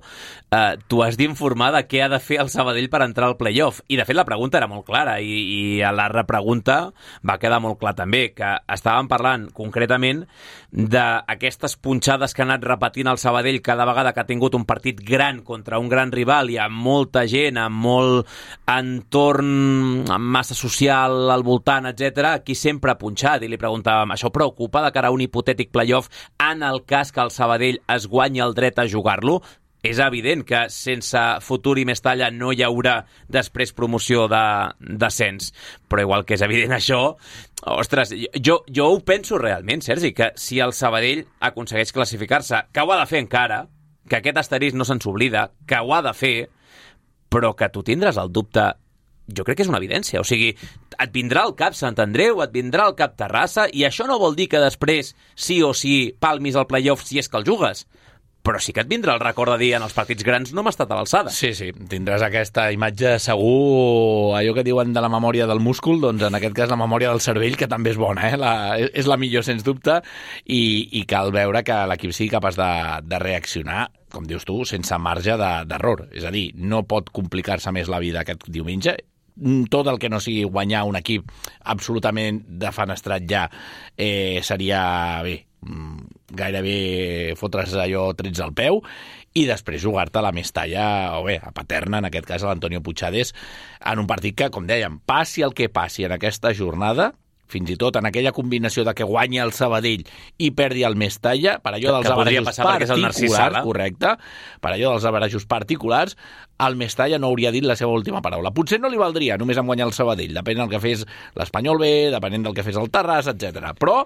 eh, tu has d'informar de què ha de fer el Sabadell per entrar al playoff. I de fet la pregunta era molt clara i, i a la repregunta va quedar molt clar també, que estàvem parlant concretament d'aquestes punxades que ha anat repetint el Sabadell cada vegada que ha tingut un partit gran contra un gran rival i amb molta gent, amb molt entorn, amb massa social al voltant, etcètera, qui sempre ha punxat. I li preguntàvem, això preocupa de cara a un hipotètic playoff en el cas que el Sabadell es guanyi el dret a jugar-lo? És evident que sense futur i Mestalla no hi haurà després promoció de descens. Però igual que és evident això, ostres, jo, jo ho penso realment, Sergi, que si el Sabadell aconsegueix classificar-se, que ho ha de fer encara, que aquest asterisc no se'ns oblida, que ho ha de fer, però que tu tindràs el dubte, jo crec que és una evidència. O sigui, et vindrà al cap Sant Andreu, et vindrà al cap Terrassa, i això no vol dir que després sí o sí palmis al playoff si és que el jugues. Però sí que et vindrà el record de dir en els partits grans no m'ha estat a l'alçada. Sí, sí, tindràs aquesta imatge segur, allò que diuen de la memòria del múscul, doncs en aquest cas la memòria del cervell, que també és bona, eh? La, és la millor, sens dubte, i, i cal veure que l'equip sigui capaç de, de reaccionar, com dius tu, sense marge d'error. És a dir, no pot complicar-se més la vida aquest diumenge. Tot el que no sigui guanyar un equip absolutament defenestrat ja eh, seria, bé, gairebé fotre's allò trets al peu i després jugar-te a la Mestalla, o bé, a Paterna, en aquest cas a l'Antonio Puigades, en un partit que, com dèiem, passi el que passi en aquesta jornada, fins i tot en aquella combinació de que guanyi el Sabadell i perdi el Mestalla, per allò dels averajos particulars, correcte, per allò dels averajos particulars, el Mestalla no hauria dit la seva última paraula. Potser no li valdria només en guanyar el Sabadell, depenent del que fes l'Espanyol B, depenent del que fes el Terrassa, etcètera. Però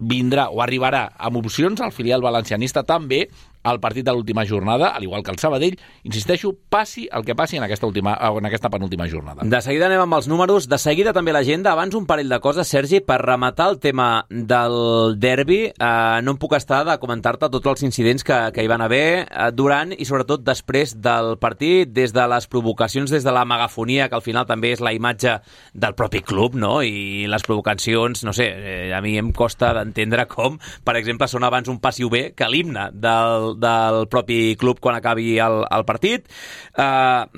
vindrà o arribarà amb opcions al filial valencianista també al partit de l'última jornada, al igual que el Sabadell, insisteixo, passi el que passi en aquesta, última, en aquesta penúltima jornada. De seguida anem amb els números, de seguida també l'agenda. Abans un parell de coses, Sergi, per rematar el tema del derbi. Eh, no em puc estar de comentar-te tots els incidents que, que hi van haver eh, durant i sobretot després del partit, des de les provocacions, des de la megafonia, que al final també és la imatge del propi club, no? I les provocacions, no sé, eh, a mi em costa d'entendre com, per exemple, són abans un passiu B que l'himne del del propi club quan acabi el, el partit. Uh,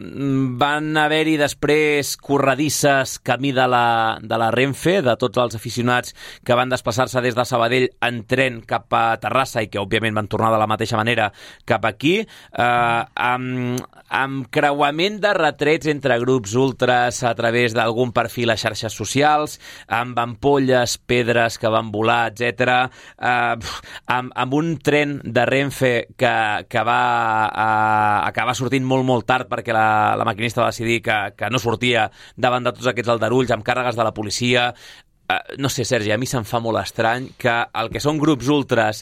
van haver-hi després corredisses camí de la, de la Renfe, de tots els aficionats que van desplaçar-se des de Sabadell en tren cap a Terrassa i que òbviament van tornar de la mateixa manera cap aquí, uh, amb, amb creuament de retrets entre grups ultras a través d'algun perfil a xarxes socials, amb ampolles, pedres que van volar, etcètera, uh, amb, amb un tren de Renfe que, que va uh, acabar sortint molt, molt tard perquè la, la maquinista va decidir que, que no sortia davant de tots aquests aldarulls, amb càrregues de la policia. Uh, no sé, Sergi, a mi se'm fa molt estrany que el que són grups ultras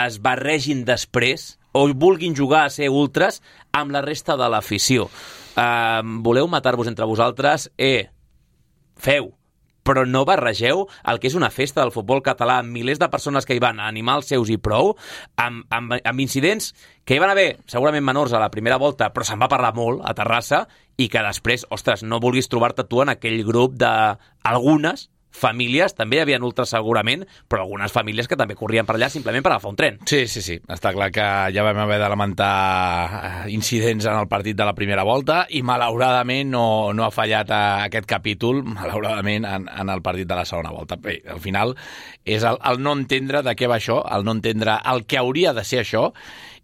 es barregin després o vulguin jugar a ser ultras amb la resta de l'afició. Uh, voleu matar-vos entre vosaltres? Eh, feu. però no barregeu el que és una festa del futbol català amb milers de persones que hi van a animar els seus i prou, amb, amb, amb incidents que hi van haver segurament menors a la primera volta, però se'n va parlar molt a Terrassa, i que després, ostres, no vulguis trobar-te tu en aquell grup d'algunes famílies, també hi havia ultres segurament, però algunes famílies que també corrien per allà simplement per agafar un tren. Sí, sí, sí. Està clar que ja vam haver de lamentar incidents en el partit de la primera volta i malauradament no, no ha fallat a aquest capítol, malauradament, en, en el partit de la segona volta. Bé, al final és el, el no entendre de què va això, el no entendre el que hauria de ser això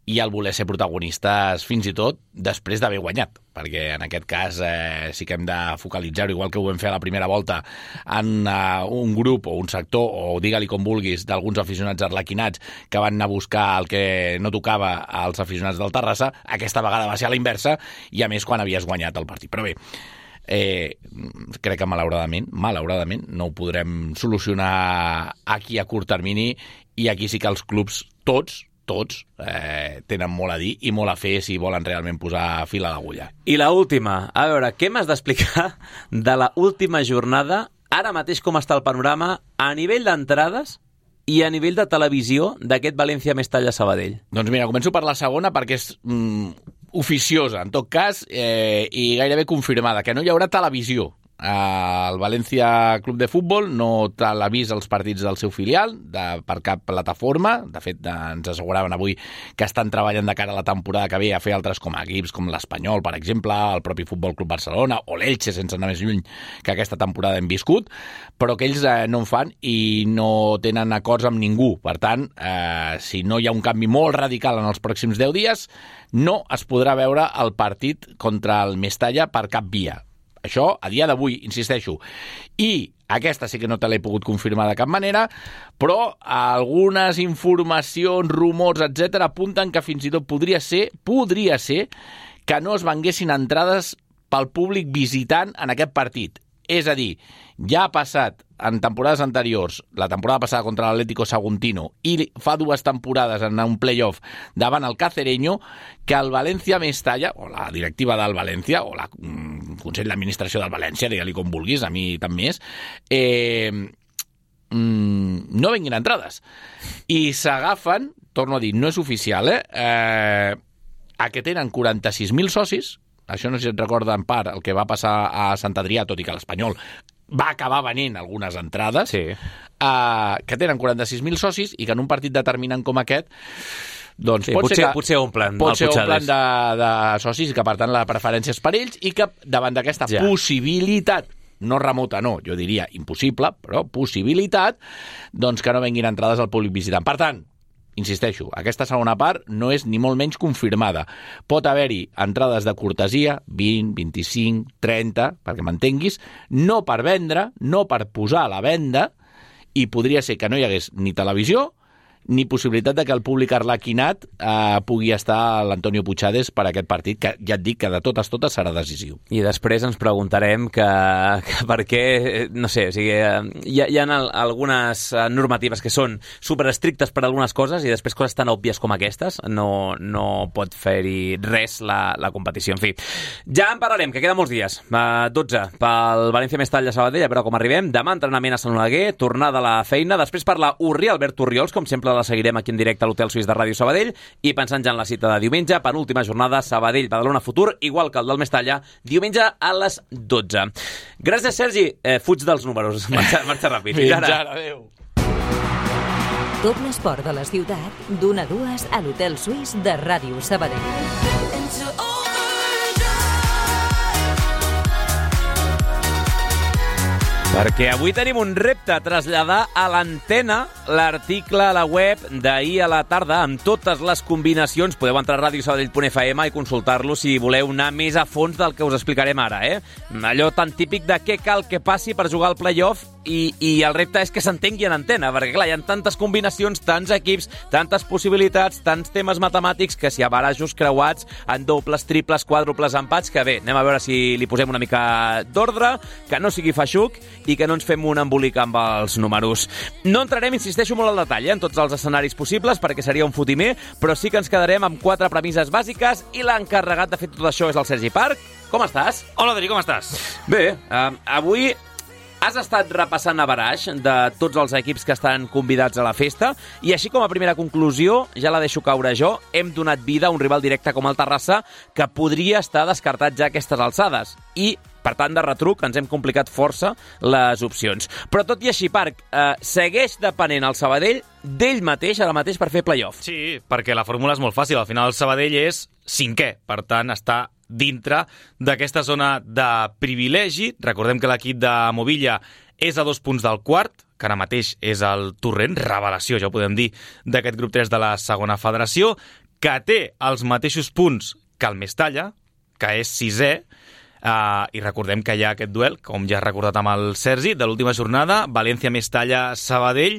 i el voler ser protagonistes fins i tot després d'haver guanyat, perquè en aquest cas eh, sí que hem de focalitzar-ho, igual que ho vam fer a la primera volta, en uh, un grup o un sector, o digue-li com vulguis, d'alguns aficionats arlequinats que van anar a buscar el que no tocava als aficionats del Terrassa. Aquesta vegada va ser a la inversa, i a més quan havies guanyat el partit. Però bé, eh, crec que malauradament, malauradament no ho podrem solucionar aquí a curt termini, i aquí sí que els clubs, tots, tots eh, tenen molt a dir i molt a fer si volen realment posar fil a l'agulla. I la última, a veure, què m'has d'explicar de la última jornada, ara mateix com està el panorama a nivell d'entrades i a nivell de televisió d'aquest València-Mestalla-Sabadell? Doncs mira, començo per la segona perquè és mm, oficiosa, en tot cas, eh, i gairebé confirmada, que no hi haurà televisió. El València Club de Futbol no televisa els partits del seu filial de, per cap plataforma. De fet, ens asseguraven avui que estan treballant de cara a la temporada que ve a fer altres com equips com l'Espanyol, per exemple, el propi Futbol Club Barcelona o l'Elche, sense anar més lluny que aquesta temporada hem viscut, però que ells eh, no en fan i no tenen acords amb ningú. Per tant, eh, si no hi ha un canvi molt radical en els pròxims deu dies, no es podrà veure el partit contra el Mestalla per cap via. Això, a dia d'avui, insisteixo. I aquesta sí que no te l'he pogut confirmar de cap manera, però algunes informacions, rumors, etcètera, apunten que fins i tot podria ser, podria ser que no es venguessin entrades pel públic visitant en aquest partit. És a dir, ja ha passat en temporades anteriors, la temporada passada contra l'Atlético Saguntino i fa dues temporades en un playoff davant el Cacereño, que el València-Mestalla, o la directiva del València, o la mm, Consell d'Administració del València, digue-li com vulguis, a mi també és, eh, mm, no venguin entrades. I s'agafen, torno a dir, no és oficial, eh, eh a que tenen quaranta-sis mil socis. Això no sé si et recorda en part el que va passar a Sant Adrià, tot i que l'Espanyol va acabar venent algunes entrades, sí. uh, que tenen quaranta-sis mil socis i que en un partit determinant com aquest doncs sí, pot potser, ser que, potser omplen pot ser omplen de, de socis i que per tant la preferència és per ells, i que davant d'aquesta ja. possibilitat, no remota, no, jo diria impossible, però possibilitat, doncs que no venguin entrades al públic visitant. Per tant, insisteixo, aquesta segona part no és ni molt menys confirmada. Pot haver-hi entrades de cortesia, vint, vint-i-cinc, trenta, perquè m'entenguis, no per vendre, no per posar a la venda, i podria ser que no hi hagués ni televisió ni possibilitat de que el públic arlequinat eh, pugui estar a l'Antonio Puigades per aquest partit, que ja et dic que de totes totes serà decisiu. I després ens preguntarem que, que per què, no sé, o sigui, hi ha, hi ha algunes normatives que són superestrictes per a algunes coses i després coses tan òbvies com aquestes no, no pot fer-hi res la, la competició. En fi, ja en parlarem, que queda molts dies. Uh, dotze pel València-Mestalla Sabadell, a veure com arribem. Demà entrenament a Sant Oleguer, tornada a la feina, després per la Urri Albert Orriols, com sempre la seguirem aquí en directe a l'Hotel Suís de Ràdio Sabadell, i pensant ja en la cita de diumenge, penúltima jornada, Sabadell-Badalona Futur, igual que el del Mestalla, diumenge a les dotze. Gràcies, Sergi. Eh, fuig dels números. Marxa, marxa ràpid. Fins ara. Adéu. Tot l'esport de la ciutat, d'una a dues a l'Hotel Suís de Ràdio Sabadell. Perquè avui tenim un repte, traslladar a l'antena l'article a la web d'ahir a la tarda amb totes les combinacions. Podeu entrar a radio sabadell punt f m i consultar-lo si voleu anar més a fons del que us explicarem ara, eh? Allò tan típic de què cal que passi per jugar al play-off i, i el repte és que s'entengui en antena, perquè clar, hi ha tantes combinacions, tants equips, tantes possibilitats, tants temes matemàtics que si a barajos creuats, en dobles, triples, quàdruples, empats, que bé, anem a veure si li posem una mica d'ordre, que no sigui feixuc i que no ens fem un embolic amb els números. No entrarem, insisteixo molt al detall, eh, en tots els escenaris possibles, perquè seria un fotimer, però sí que ens quedarem amb quatre premisses bàsiques i l'encarregat de fer tot això és el Sergi Parc. Com estàs? Hola, Adri, com estàs? Bé, eh, avui Has estat repassant averaix de tots els equips que estan convidats a la festa i així com a primera conclusió, ja la deixo caure jo, hem donat vida a un rival directe com el Terrassa que podria estar descartat ja a aquestes alçades i per tant, de retruc, ens hem complicat força les opcions. Però tot i així, Parc, eh, segueix depenent el Sabadell d'ell mateix, ara mateix, per fer play-off. Sí, perquè la fórmula és molt fàcil. Al final el Sabadell és cinquè, per tant, està dintre d'aquesta zona de privilegi. Recordem que l'equip de Movilla és a dos punts del quart, que ara mateix és el Torrent, revelació, ja ho podem dir, d'aquest grup tres de la segona federació, que té els mateixos punts que el Mestalla, que és sisè, Uh, i recordem que hi ha aquest duel, com ja he recordat amb el Sergi, de l'última jornada, València-Mestalla-Sabadell,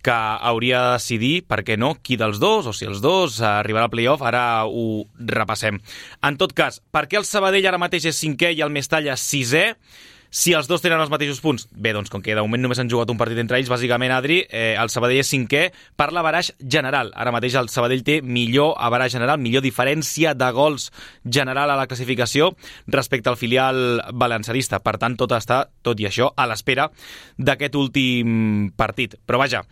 que hauria de decidir, per què no, qui dels dos, o si els dos uh, arribarà al play-off, ara ho repassem. En tot cas, per què el Sabadell ara mateix és cinquè i el Mestalla sisè? Si els dos tenen els mateixos punts, bé, doncs com que de moment només han jugat un partit entre ells, bàsicament, Adri, eh, el Sabadell és cinquè per l'averaix general. Ara mateix el Sabadell té millor averaix general, millor diferència de gols general a la classificació respecte al filial valencianista. Per tant, tot està, tot i això, a l'espera d'aquest últim partit. Però vaja,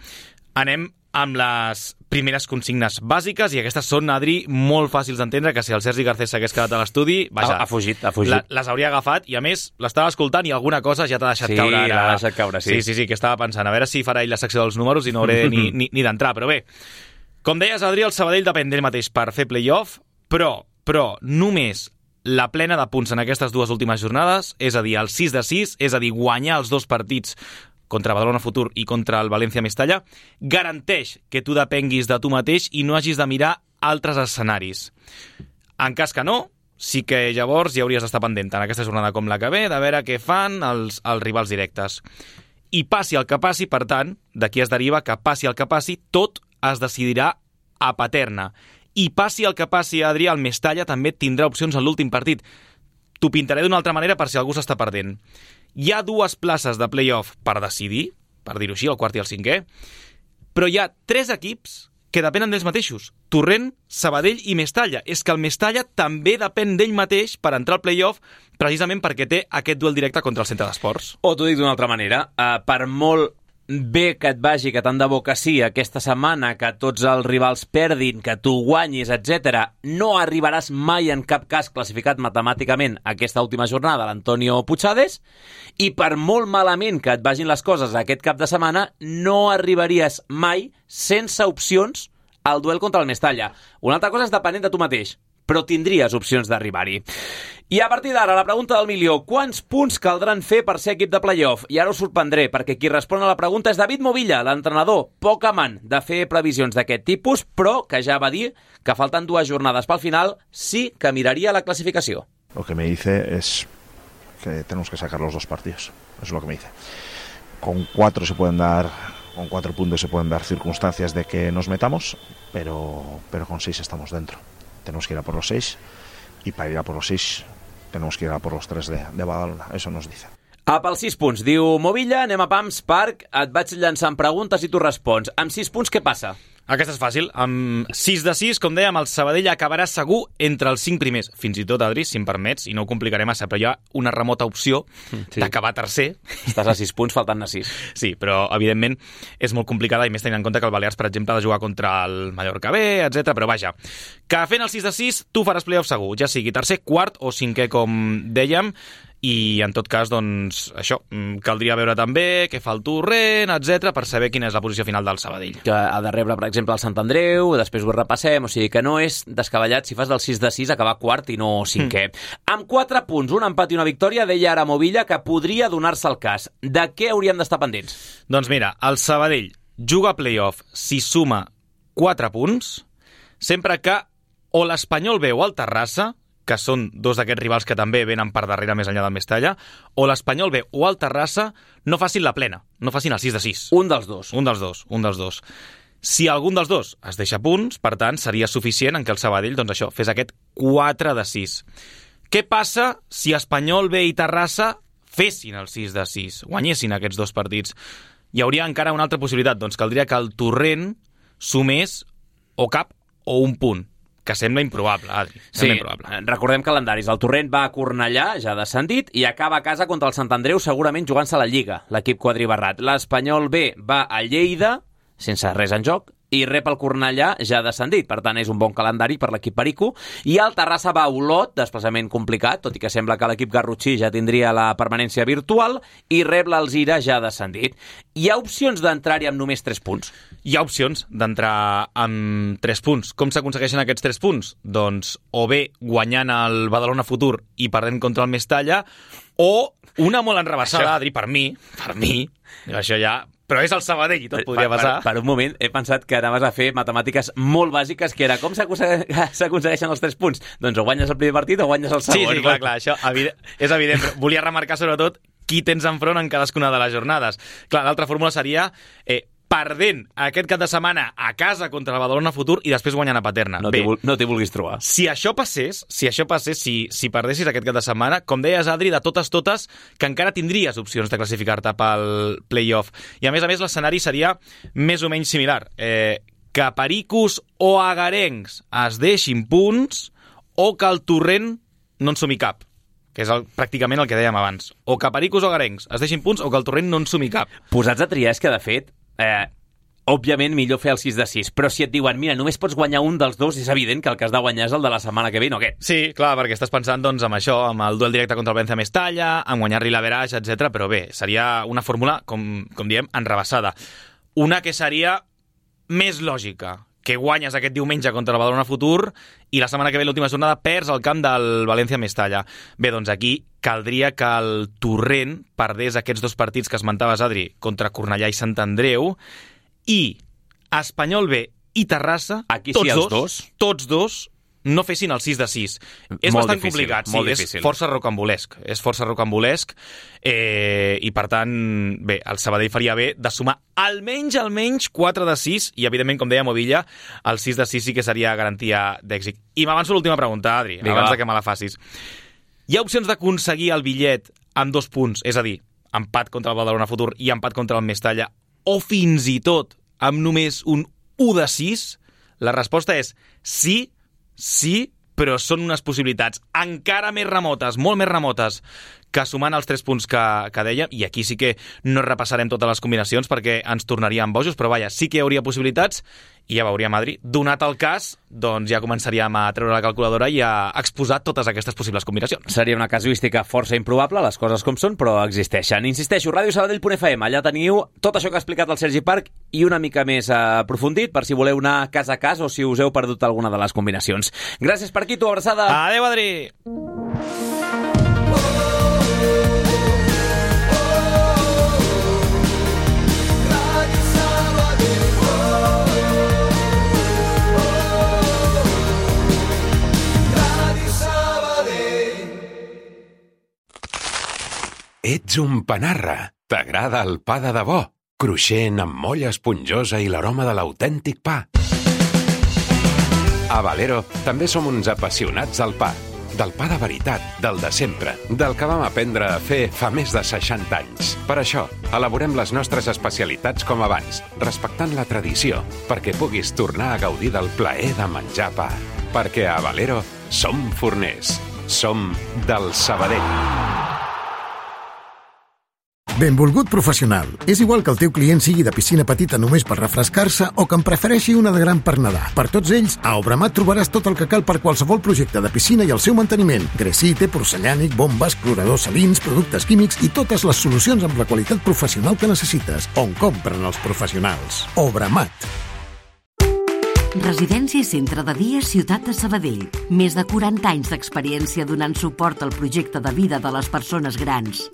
anem amb les primeres consignes bàsiques, i aquestes són, Adri, molt fàcils d'entendre, que si el Sergi Garcés s'hagués quedat a l'estudi, vaja, ha, ha fugit, ha fugit. La, les hauria agafat, i a més, l'estava escoltant i alguna cosa ja t'ha deixat sí, caure. Sí, l'ha deixat caure, sí. Sí, sí, sí, que estava pensant, a veure si farà ell la secció dels números i no hauré ni, ni, ni d'entrar, però bé. Com deies, Adri, el Sabadell depèn d'ell mateix per fer play-off, però, però només la plena de punts en aquestes dues últimes jornades, és a dir, el sis de sis, és a dir, guanyar els dos partits contra Badalona Futur i contra el València-Mestalla, garanteix que tu depenguis de tu mateix i no hagis de mirar altres escenaris. En cas que no, sí que llavors hi hauries d'estar pendent en aquesta jornada com la que ve, de veure què fan els, els rivals directes. I passi el que passi, per tant, d'aquí es deriva que passi el que passi, tot es decidirà a Paterna. I passi el que passi, Adrià, el Mestalla també tindrà opcions en l'últim partit. T'ho pintaré d'una altra manera per si algú s'està perdent. Hi ha dues places de play-off per decidir, per dir-ho així, el quart i el cinquè, però hi ha tres equips que depenen d'ells mateixos. Torrent, Sabadell i Mestalla. És que el Mestalla també depèn d'ell mateix per entrar al play-off, precisament perquè té aquest duel directe contra el Centre d'Esports. O t'ho dic d'una altra manera, uh, per molt bé que et vagi, que tant de bo que sí, aquesta setmana, que tots els rivals perdin, que tu guanyis, etcètera, no arribaràs mai en cap cas classificat matemàticament aquesta última jornada l'Antonio Puigades, i per molt malament que et vagin les coses aquest cap de setmana, no arribaries mai sense opcions al duel contra el Mestalla. Una altra cosa és depenent de tu mateix, però tindries opcions d'arribar-hi. I a partir d'ara, la pregunta del milió: quants punts caldran fer per ser equip de play-off? I ara us sorprendré, perquè qui respon a la pregunta és David Movilla, l'entrenador, poc amant de fer previsions d'aquest tipus, però que ja va dir que falten dues jornades pel final, sí que miraria la clasificació. Lo que me dice es que tenemos que sacar los dos partidos, eso es lo que me dice. Con cuatro se pueden dar, con cuatro puntos se pueden dar circunstancias de que nos metamos, pero, pero con seis estamos dentro. Tenemos que ir a por los seis, y para ir a por los seis tenemos que ir a por los tres de, de Badalona, eso nos dice. A pels sis punts, diu Movilla, anem a Pams, Parc, et vaig llançant preguntes i tu respons. Amb sis punts, què passa? Aquesta és fàcil. Amb sis de sis, com dèiem, el Sabadell acabarà segur entre els cinc primers. Fins i tot, Adri, si em permets, i no ho complicaré massa, però hi ha una remota opció sí. d'acabar tercer. Estàs a sis punts, faltant-ne sis. Sí, però, evidentment, és molt complicada, i més tenint en compte que el Balears, per exemple, ha de jugar contra el Mallorca B, etcètera. Però vaja, que fent el sis de sis, tu faràs play-off segur, ja sigui tercer, quart o cinquè, com dèiem. I, en tot cas, doncs, això, caldria veure també què fa el Torrent, etcètera, per saber quina és la posició final del Sabadell. Que ha de rebre, per exemple, el Sant Andreu, després ho repassem, o sigui que no és descabellat si fas del sis de sis acabar quart i no cinquè. Mm. Amb quatre punts, un empat i una victòria, deia ara Movilla que podria donar-se el cas. De què hauríem d'estar pendents? Doncs mira, el Sabadell juga a play-off si suma quatre punts, sempre que o l'Espanyol B o el Terrassa, que són dos d'aquests rivals que també venen per darrere més enllà del Mestalla, o l'Espanyol B o el Terrassa no facin la plena, no facin el sis de sis. Un dels dos. Un dels dos, un dels dos. Si algun dels dos es deixa punts, per tant, seria suficient en què el Sabadell, doncs això, fes aquest quatre de sis. Què passa si Espanyol B i Terrassa fessin el sis de sis, guanyessin aquests dos partits? Hi hauria encara una altra possibilitat, doncs caldria que el Torrent sumés o cap o un punt. que sembla improbable, Adri. Sembla Sí, improbable. recordem calendaris. El Torrent va a Cornellà, ja descendit, i acaba a casa contra el Sant Andreu, segurament jugant-se a la Lliga, l'equip quadribarrat. L'Espanyol B va a Lleida, sense res en joc, i rep el Cornellà ja descendit. Per tant, és un bon calendari per l'equip perico. I el Terrassa va a Olot, desplaçament complicat, tot i que sembla que l'equip garrotxí ja tindria la permanència virtual, i rep l'Alzira ja descendit. Hi ha opcions d'entrar-hi amb només tres punts? Hi ha opcions d'entrar amb tres punts. Com s'aconsegueixen aquests tres punts? Doncs o bé guanyant el Badalona Futur i perdent contra el Mestalla, o una molt enrebaçada, això... Adri, per mi, per mi, això ja... Però és el Sabadell i tot podria passar. Per, per, per un moment he pensat que anaves a fer matemàtiques molt bàsiques, que era com s'aconsegueixen els tres punts? Doncs o guanyes el primer partit o guanyes el segon. Sí, sí, clar, clar, això evident, és evident, però volia remarcar sobretot qui tens enfront en cadascuna de les jornades. Clar, l'altra fórmula seria... Eh, perdent aquest cap de setmana a casa contra el Badalona Futur i després guanyant a Paterna. No t'hi no vulguis trobar. Si això passés, si això passés, si, si perdessis aquest cap de setmana, com deies, Adri, de totes totes, que encara tindries opcions de classificar-te pel play-off. I a més a més l'escenari seria més o menys similar. Eh, que pericos o agarencs es deixin punts o que el Torrent no en sumi cap, que és el, pràcticament el que dèiem abans. O que pericos o agarencs es deixin punts o que el Torrent no en sumi cap. Posats a triar és que, de fet, Eh, òbviament millor fer el sis de sis, però si et diuen, mira, només pots guanyar un dels dos, és evident que el que has de guanyar és el de la setmana que ve, no aquest. Sí, clar, perquè estàs pensant doncs, amb això, amb el duel directe contra el Valencia Mestalla, amb guanyar-li l'Average, etcètera. Però bé, seria una fórmula, com, com diem, enrebaçada. Una que seria més lògica, que guanyes aquest diumenge contra el Badalona Futur i la setmana que ve, l'última jornada, perds el camp del Valencia Mestalla. Bé, doncs aquí caldria que el Torrent perdés aquests dos partits que esmentaves, Adri, contra Cornellà i Sant Andreu, i Espanyol B i Terrassa, aquí tots, sí, dos, dos, tots dos no fessin el sis de sis. És molt bastant difícil, complicat, molt sí, difícil. És força rocambolesc. És força rocambolesc eh, i, per tant, bé, el Sabadell faria bé de sumar almenys, almenys quatre de sis i, evidentment, com deia Movilla, el sis de sis sí que seria garantia d'èxit. I m'avanço l'última pregunta, Adri, Vinga, abans va. de que me la facis. Hi ha opcions d'aconseguir el bitllet amb dos punts, és a dir, empat contra el Badalona Futur i empat contra el Mestalla, o fins i tot amb només un u de sis? La resposta és sí, sí, però són unes possibilitats encara més remotes, molt més remotes, que sumant els tres punts que, que dèiem, i aquí sí que no repassarem totes les combinacions perquè ens tornaríem bojos, però vaja, sí que hi hauria possibilitats, i ja veuríem, Adri. Donat el cas, doncs ja començaríem a treure la calculadora i a exposar totes aquestes possibles combinacions. Seria una casuística força improbable, les coses com són, però existeixen. Insisteixo, ràdio sabadell punt f m, allà teniu tot això que ha explicat el Sergi Parc i una mica més aprofundit, per si voleu anar cas a cas o si us heu perdut alguna de les combinacions. Gràcies, Parquito, abraçada. Adéu, Adri! Ets un panarra. T'agrada el pa de debò? Cruixent, amb molla esponjosa i l'aroma de l'autèntic pa. A Valero també som uns apassionats del pa. Del pa de veritat, del de sempre, del que vam aprendre a fer fa més de seixanta anys. Per això, elaborem les nostres especialitats com abans, respectant la tradició, perquè puguis tornar a gaudir del plaer de menjar pa. Perquè a Valero som forners. Som del Sabadell. Benvolgut professional. És igual que el teu client sigui de piscina petita només per refrescar-se o que en prefereixi una de gran per nedar. Per tots ells, a Obramat trobaràs tot el que cal per qualsevol projecte de piscina i el seu manteniment. Gresite, porcellànic, bombes, cloradors salins, productes químics i totes les solucions amb la qualitat professional que necessites. On compren els professionals. Obramat. Residència i centre de dia Ciutat de Sabadell. Més de quaranta anys d'experiència donant suport al projecte de vida de les persones grans.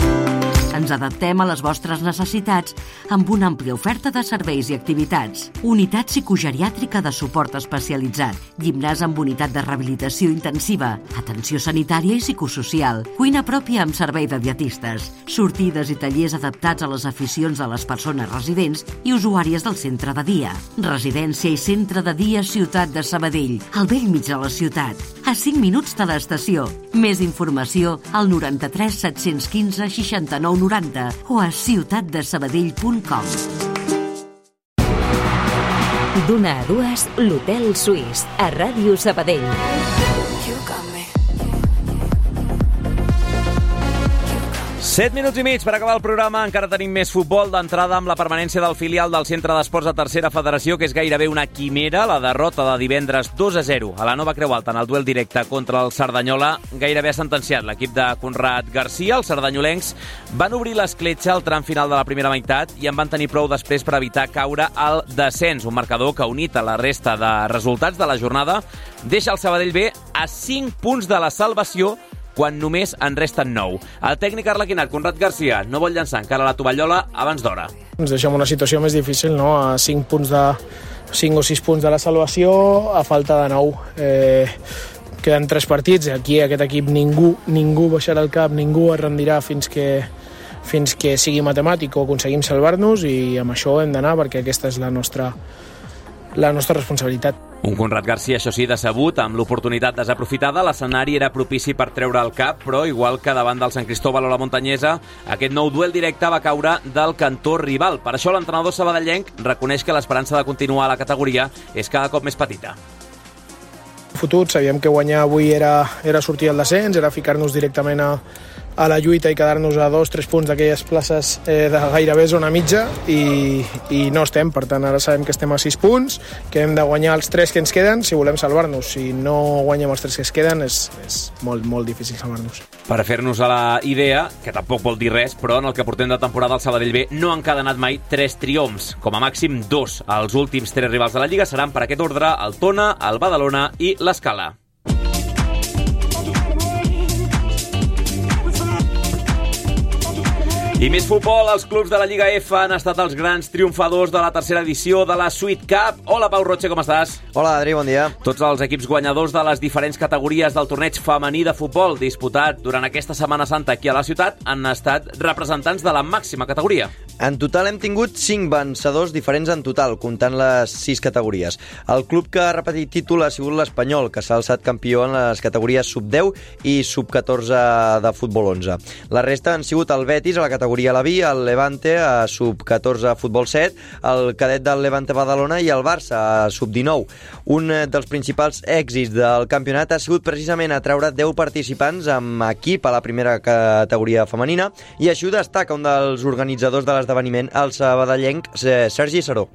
Ens adaptem a les vostres necessitats amb una àmplia oferta de serveis i activitats. Unitat psicogeriàtrica de suport especialitzat, gimnàs amb unitat de rehabilitació intensiva, atenció sanitària i psicosocial, cuina pròpia amb servei de dietistes, sortides i tallers adaptats a les aficions de les persones residents i usuàries del centre de dia. Residència i centre de dia Ciutat de Sabadell, al vell mig de la ciutat, a cinc minuts de l'estació. Més informació al noranta-tres set-cents quinze seixanta-nou noranta o a ciutat de sabadell punt com. D'una a dues, l'Hotel Suís, a Ràdio Sabadell. Set minuts i mig per acabar el programa. Encara tenim més futbol. D'entrada amb la permanència del filial del Centre d'Esports de Tercera Federació, que és gairebé una quimera. La derrota de divendres dos a zero a la Nova Creu Alta en el duel directe contra el Cerdanyola gairebé ha sentenciat l'equip de Conrad Garcia. Els sardanyolencs van obrir l'escletxa al tram final de la primera meitat i en van tenir prou després per evitar caure al descens. Un marcador que, unit a la resta de resultats de la jornada, deixa el Sabadell B a cinc punts de la salvació quan només en resten nou. El tècnic arlequinat, Conrad Garcia, no vol llançar encara la tovallola abans d'hora. Ens deixem una situació més difícil, no? A cinc punts de cinc o sis punts de la salvació, a falta de nou. Eh, queden tres partits, aquí aquest equip ningú, ningú baixarà el cap, ningú es rendirà fins que, fins que sigui matemàtic o aconseguim salvar-nos, i amb això hem d'anar perquè aquesta és la nostra, la nostra responsabilitat. Un Conrad Garcia, això sí, decebut, amb l'oportunitat desaprofitada. L'escenari era propici per treure el cap, però igual que davant del Sant Cristóbal o la Montanyesa, aquest nou duel directe va caure del cantó rival. Per això l'entrenador sabadellenc reconeix que l'esperança de continuar a la categoria és cada cop més petita. Futur, sabíem que guanyar avui era, era sortir al descens, era ficar-nos directament a, a la lluita i quedar-nos a dos, tres punts d'aquelles places eh, de gairebé zona mitja, i, i no estem. Per tant, ara sabem que estem a sis punts, que hem de guanyar els tres que ens queden si volem salvar-nos. Si no guanyem els tres que es queden, és, és molt, molt difícil salvar-nos. Per fer-nos a la idea, que tampoc vol dir res, però en el que portem de temporada el Sabadell B no han encadenat mai tres triomfs, com a màxim dos. Els últims tres rivals de la Lliga seran per aquest ordre el Tona, el Badalona i l'Escala. I més futbol, els clubs de la Lliga F han estat els grans triomfadors de la tercera edició de la Sweet Cup. Hola, Pau Roche, com estàs? Hola, Adri, bon dia. Tots els equips guanyadors de les diferents categories del torneig femení de futbol disputat durant aquesta Setmana Santa aquí a la ciutat han estat representants de la màxima categoria. En total hem tingut cinc vencedors diferents en total, comptant les sis categories. El club que ha repetit títol ha sigut l'Espanyol, que s'ha alçat campió en les categories sub deu i sub catorze de futbol onze. La resta han sigut el Betis a la categoria a la B, el Levante a sub catorze futbol set, el cadet del Levante Badalona i el Barça a sub dinou. Un dels principals èxits del campionat ha sigut precisament atraure deu participants amb equip a la primera categoria femenina, i això destaca un dels organitzadors de l'esdeveniment, el sabadellenc Sergi Saró.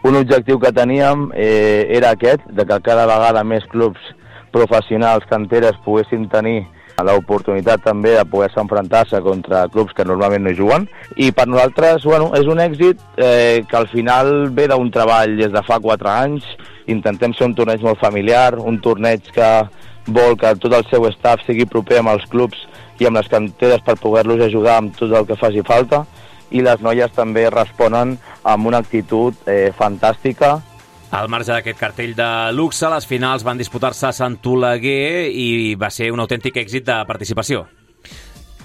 Un objectiu que teníem eh, era aquest, de que cada vegada més clubs professionals, canteres, poguessin tenir l'oportunitat també de poder-se enfrontar-se contra clubs que normalment no juguen, i per nosaltres, bueno, és un èxit eh, que al final ve d'un treball des de fa quatre anys. Intentem ser un torneig molt familiar, un torneig que vol que tot el seu staff sigui proper amb els clubs i amb les canteres per poder-los ajudar amb tot el que faci falta, i les noies també responen amb una actitud eh, fantàstica. Al marge d'aquest cartell de luxe, les finals van disputar-se a Sant Oleguer i va ser un autèntic èxit de participació.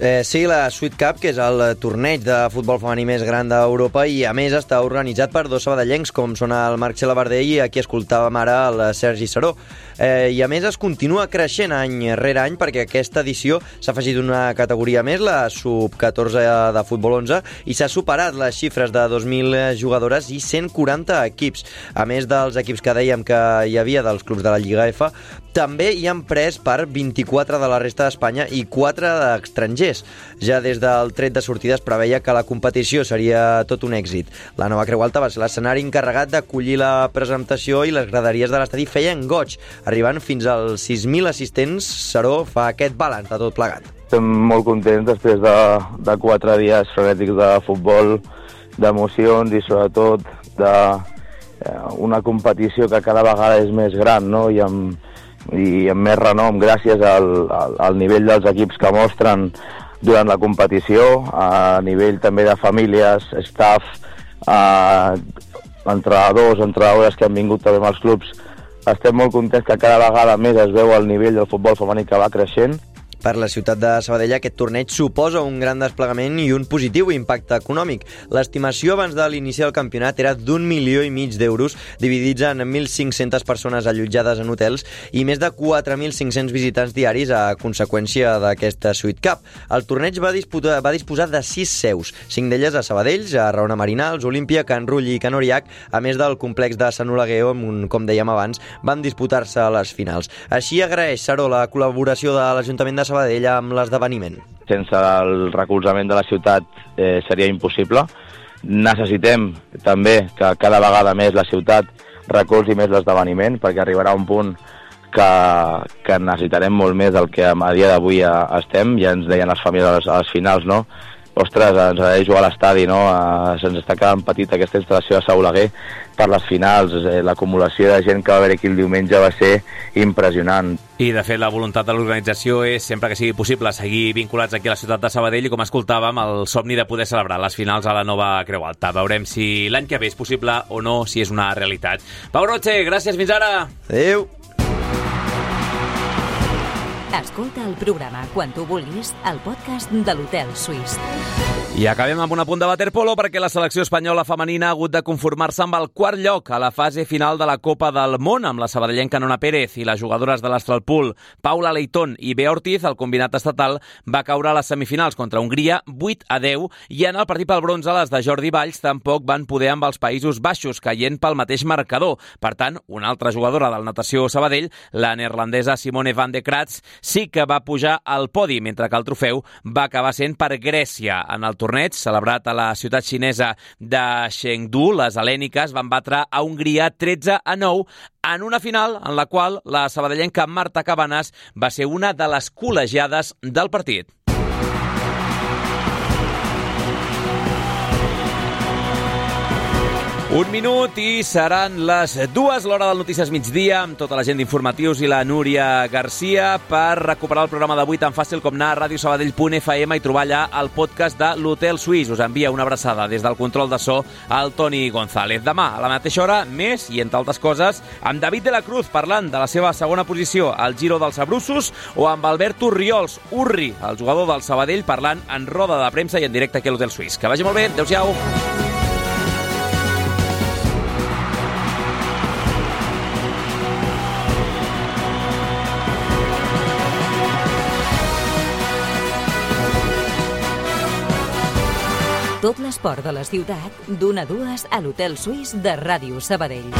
Eh, sí, la Sweet Cup, que és el torneig de futbol femení més gran d'Europa, i a més està organitzat per dos sabadellencs, com són el Marc Xelabardell i aquí escoltàvem ara el Sergi Saró. Eh, I a més es continua creixent any rere any, perquè aquesta edició s'ha afegit una categoria més, la sub catorze de futbol onze, i s'ha superat les xifres de dos mil jugadores i cent quaranta equips. A més dels equips que dèiem que hi havia dels clubs de la Lliga F, també hi han pres per vint-i-quatre de la resta d'Espanya i quatre d'estrangers. Ja des del tret de sortida es preveia que la competició seria tot un èxit. La Nova Creu Alta va ser l'escenari encarregat d'acollir la presentació i les graderies de l'estadi feien goig, arribant fins als sis mil assistents. Saró fa aquest balanç de tot plegat. Estem molt contents després de, de quatre dies frenètics de futbol, d'emocions i sobretot d'una competició que cada vegada és més gran, no? I amb, i amb més renom gràcies al, al, al nivell dels equips que mostren durant la competició, a nivell també de famílies, staff, eh, entrenadors, entrenadores que han vingut també amb els clubs. Estem molt contents que cada vegada més es veu el nivell del futbol femení que va creixent. Per la ciutat de Sabadell aquest torneig suposa un gran desplegament i un positiu impacte econòmic. L'estimació abans de l'iniciar el campionat era d'un milió i mig d'euros, dividits en mil cinc-centes persones allotjades en hotels i més de quatre mil cinc-cents visitants diaris a conseqüència d'aquesta Suite Cup. El torneig va disputar, va disposar de sis seus, cinc d'elles a Sabadell, a Raona Marinals, Olímpia, Can Rull i Can Oriac, a més del complex de Sant Oleguer, on, com dèiem abans, van disputar-se a les finals. Així agraeix, Saró, la col·laboració de l'Ajuntament de Sabadell amb l'esdeveniment. Sense el recolzament de la ciutat eh, seria impossible. Necessitem també que cada vegada més la ciutat recolzi més l'esdeveniment, perquè arribarà un punt que, que necessitarem molt més del que a dia d'avui estem. Ja ens deien les famílies a les, a les finals, no? Ostres, ens agradaria jugar a l'estadi, no? Uh, se'ns està quedant petita aquesta instal·lació a Sant Oleguer per les finals. Eh, l'acumulació de gent que va haver aquí el diumenge va ser impressionant. I, de fet, la voluntat de l'organització és, sempre que sigui possible, seguir vinculats aquí a la ciutat de Sabadell i, com escoltàvem, el somni de poder celebrar les finals a la nova Creu Alta. Veurem si l'any que ve és possible o no, si és una realitat. Pau Roche, gràcies, fins ara! Adéu! Escolta el programa quan tu vulguis al podcast de l'Hotel Suís. I acabem amb un apunt de waterpolo perquè la selecció espanyola femenina ha hagut de conformar-se amb el quart lloc a la fase final de la Copa del Món amb la sabadellenca Nona Pérez i les jugadores de l'Astralpool Paula Leitón i Bea Ortiz. El combinat estatal va caure a les semifinals contra Hongria vuit a deu i en el partit pel bronze les de Jordi Valls tampoc van poder amb els Països Baixos, caient pel mateix marcador. Per tant, una altra jugadora del Natació Sabadell, la neerlandesa Simone van de Kratz, sí que va pujar al podi, mentre que el trofeu va acabar sent per Grècia. En el torneig, celebrat a la ciutat xinesa de Chengdu, les hel·lèniques van batre a Hongria tretze a nou en una final en la qual la sabadellenca Marta Cabanas va ser una de les col·legiades del partit. Un minut i seran les dues, l'hora del Notícies Migdia, amb tota la gent d'informatius i la Núria Garcia, per recuperar el programa d'avui tan fàcil com anar a radio sabadell punt f m i trobar allà el podcast de l'Hotel Suís. Us envia una abraçada des del control de so al Toni González. Demà, a la mateixa hora, més, i entre altres coses, amb David de la Cruz parlant de la seva segona posició al Giro dels Abrussos, o amb Alberto Riols, Urri, el jugador del Sabadell, parlant en roda de premsa i en directe aquí a l'Hotel Suís. Que vagi molt bé, adéu-siau. Tot l'esport de la ciutat, d'una a dues a l'Hotel Suís de Ràdio Sabadell.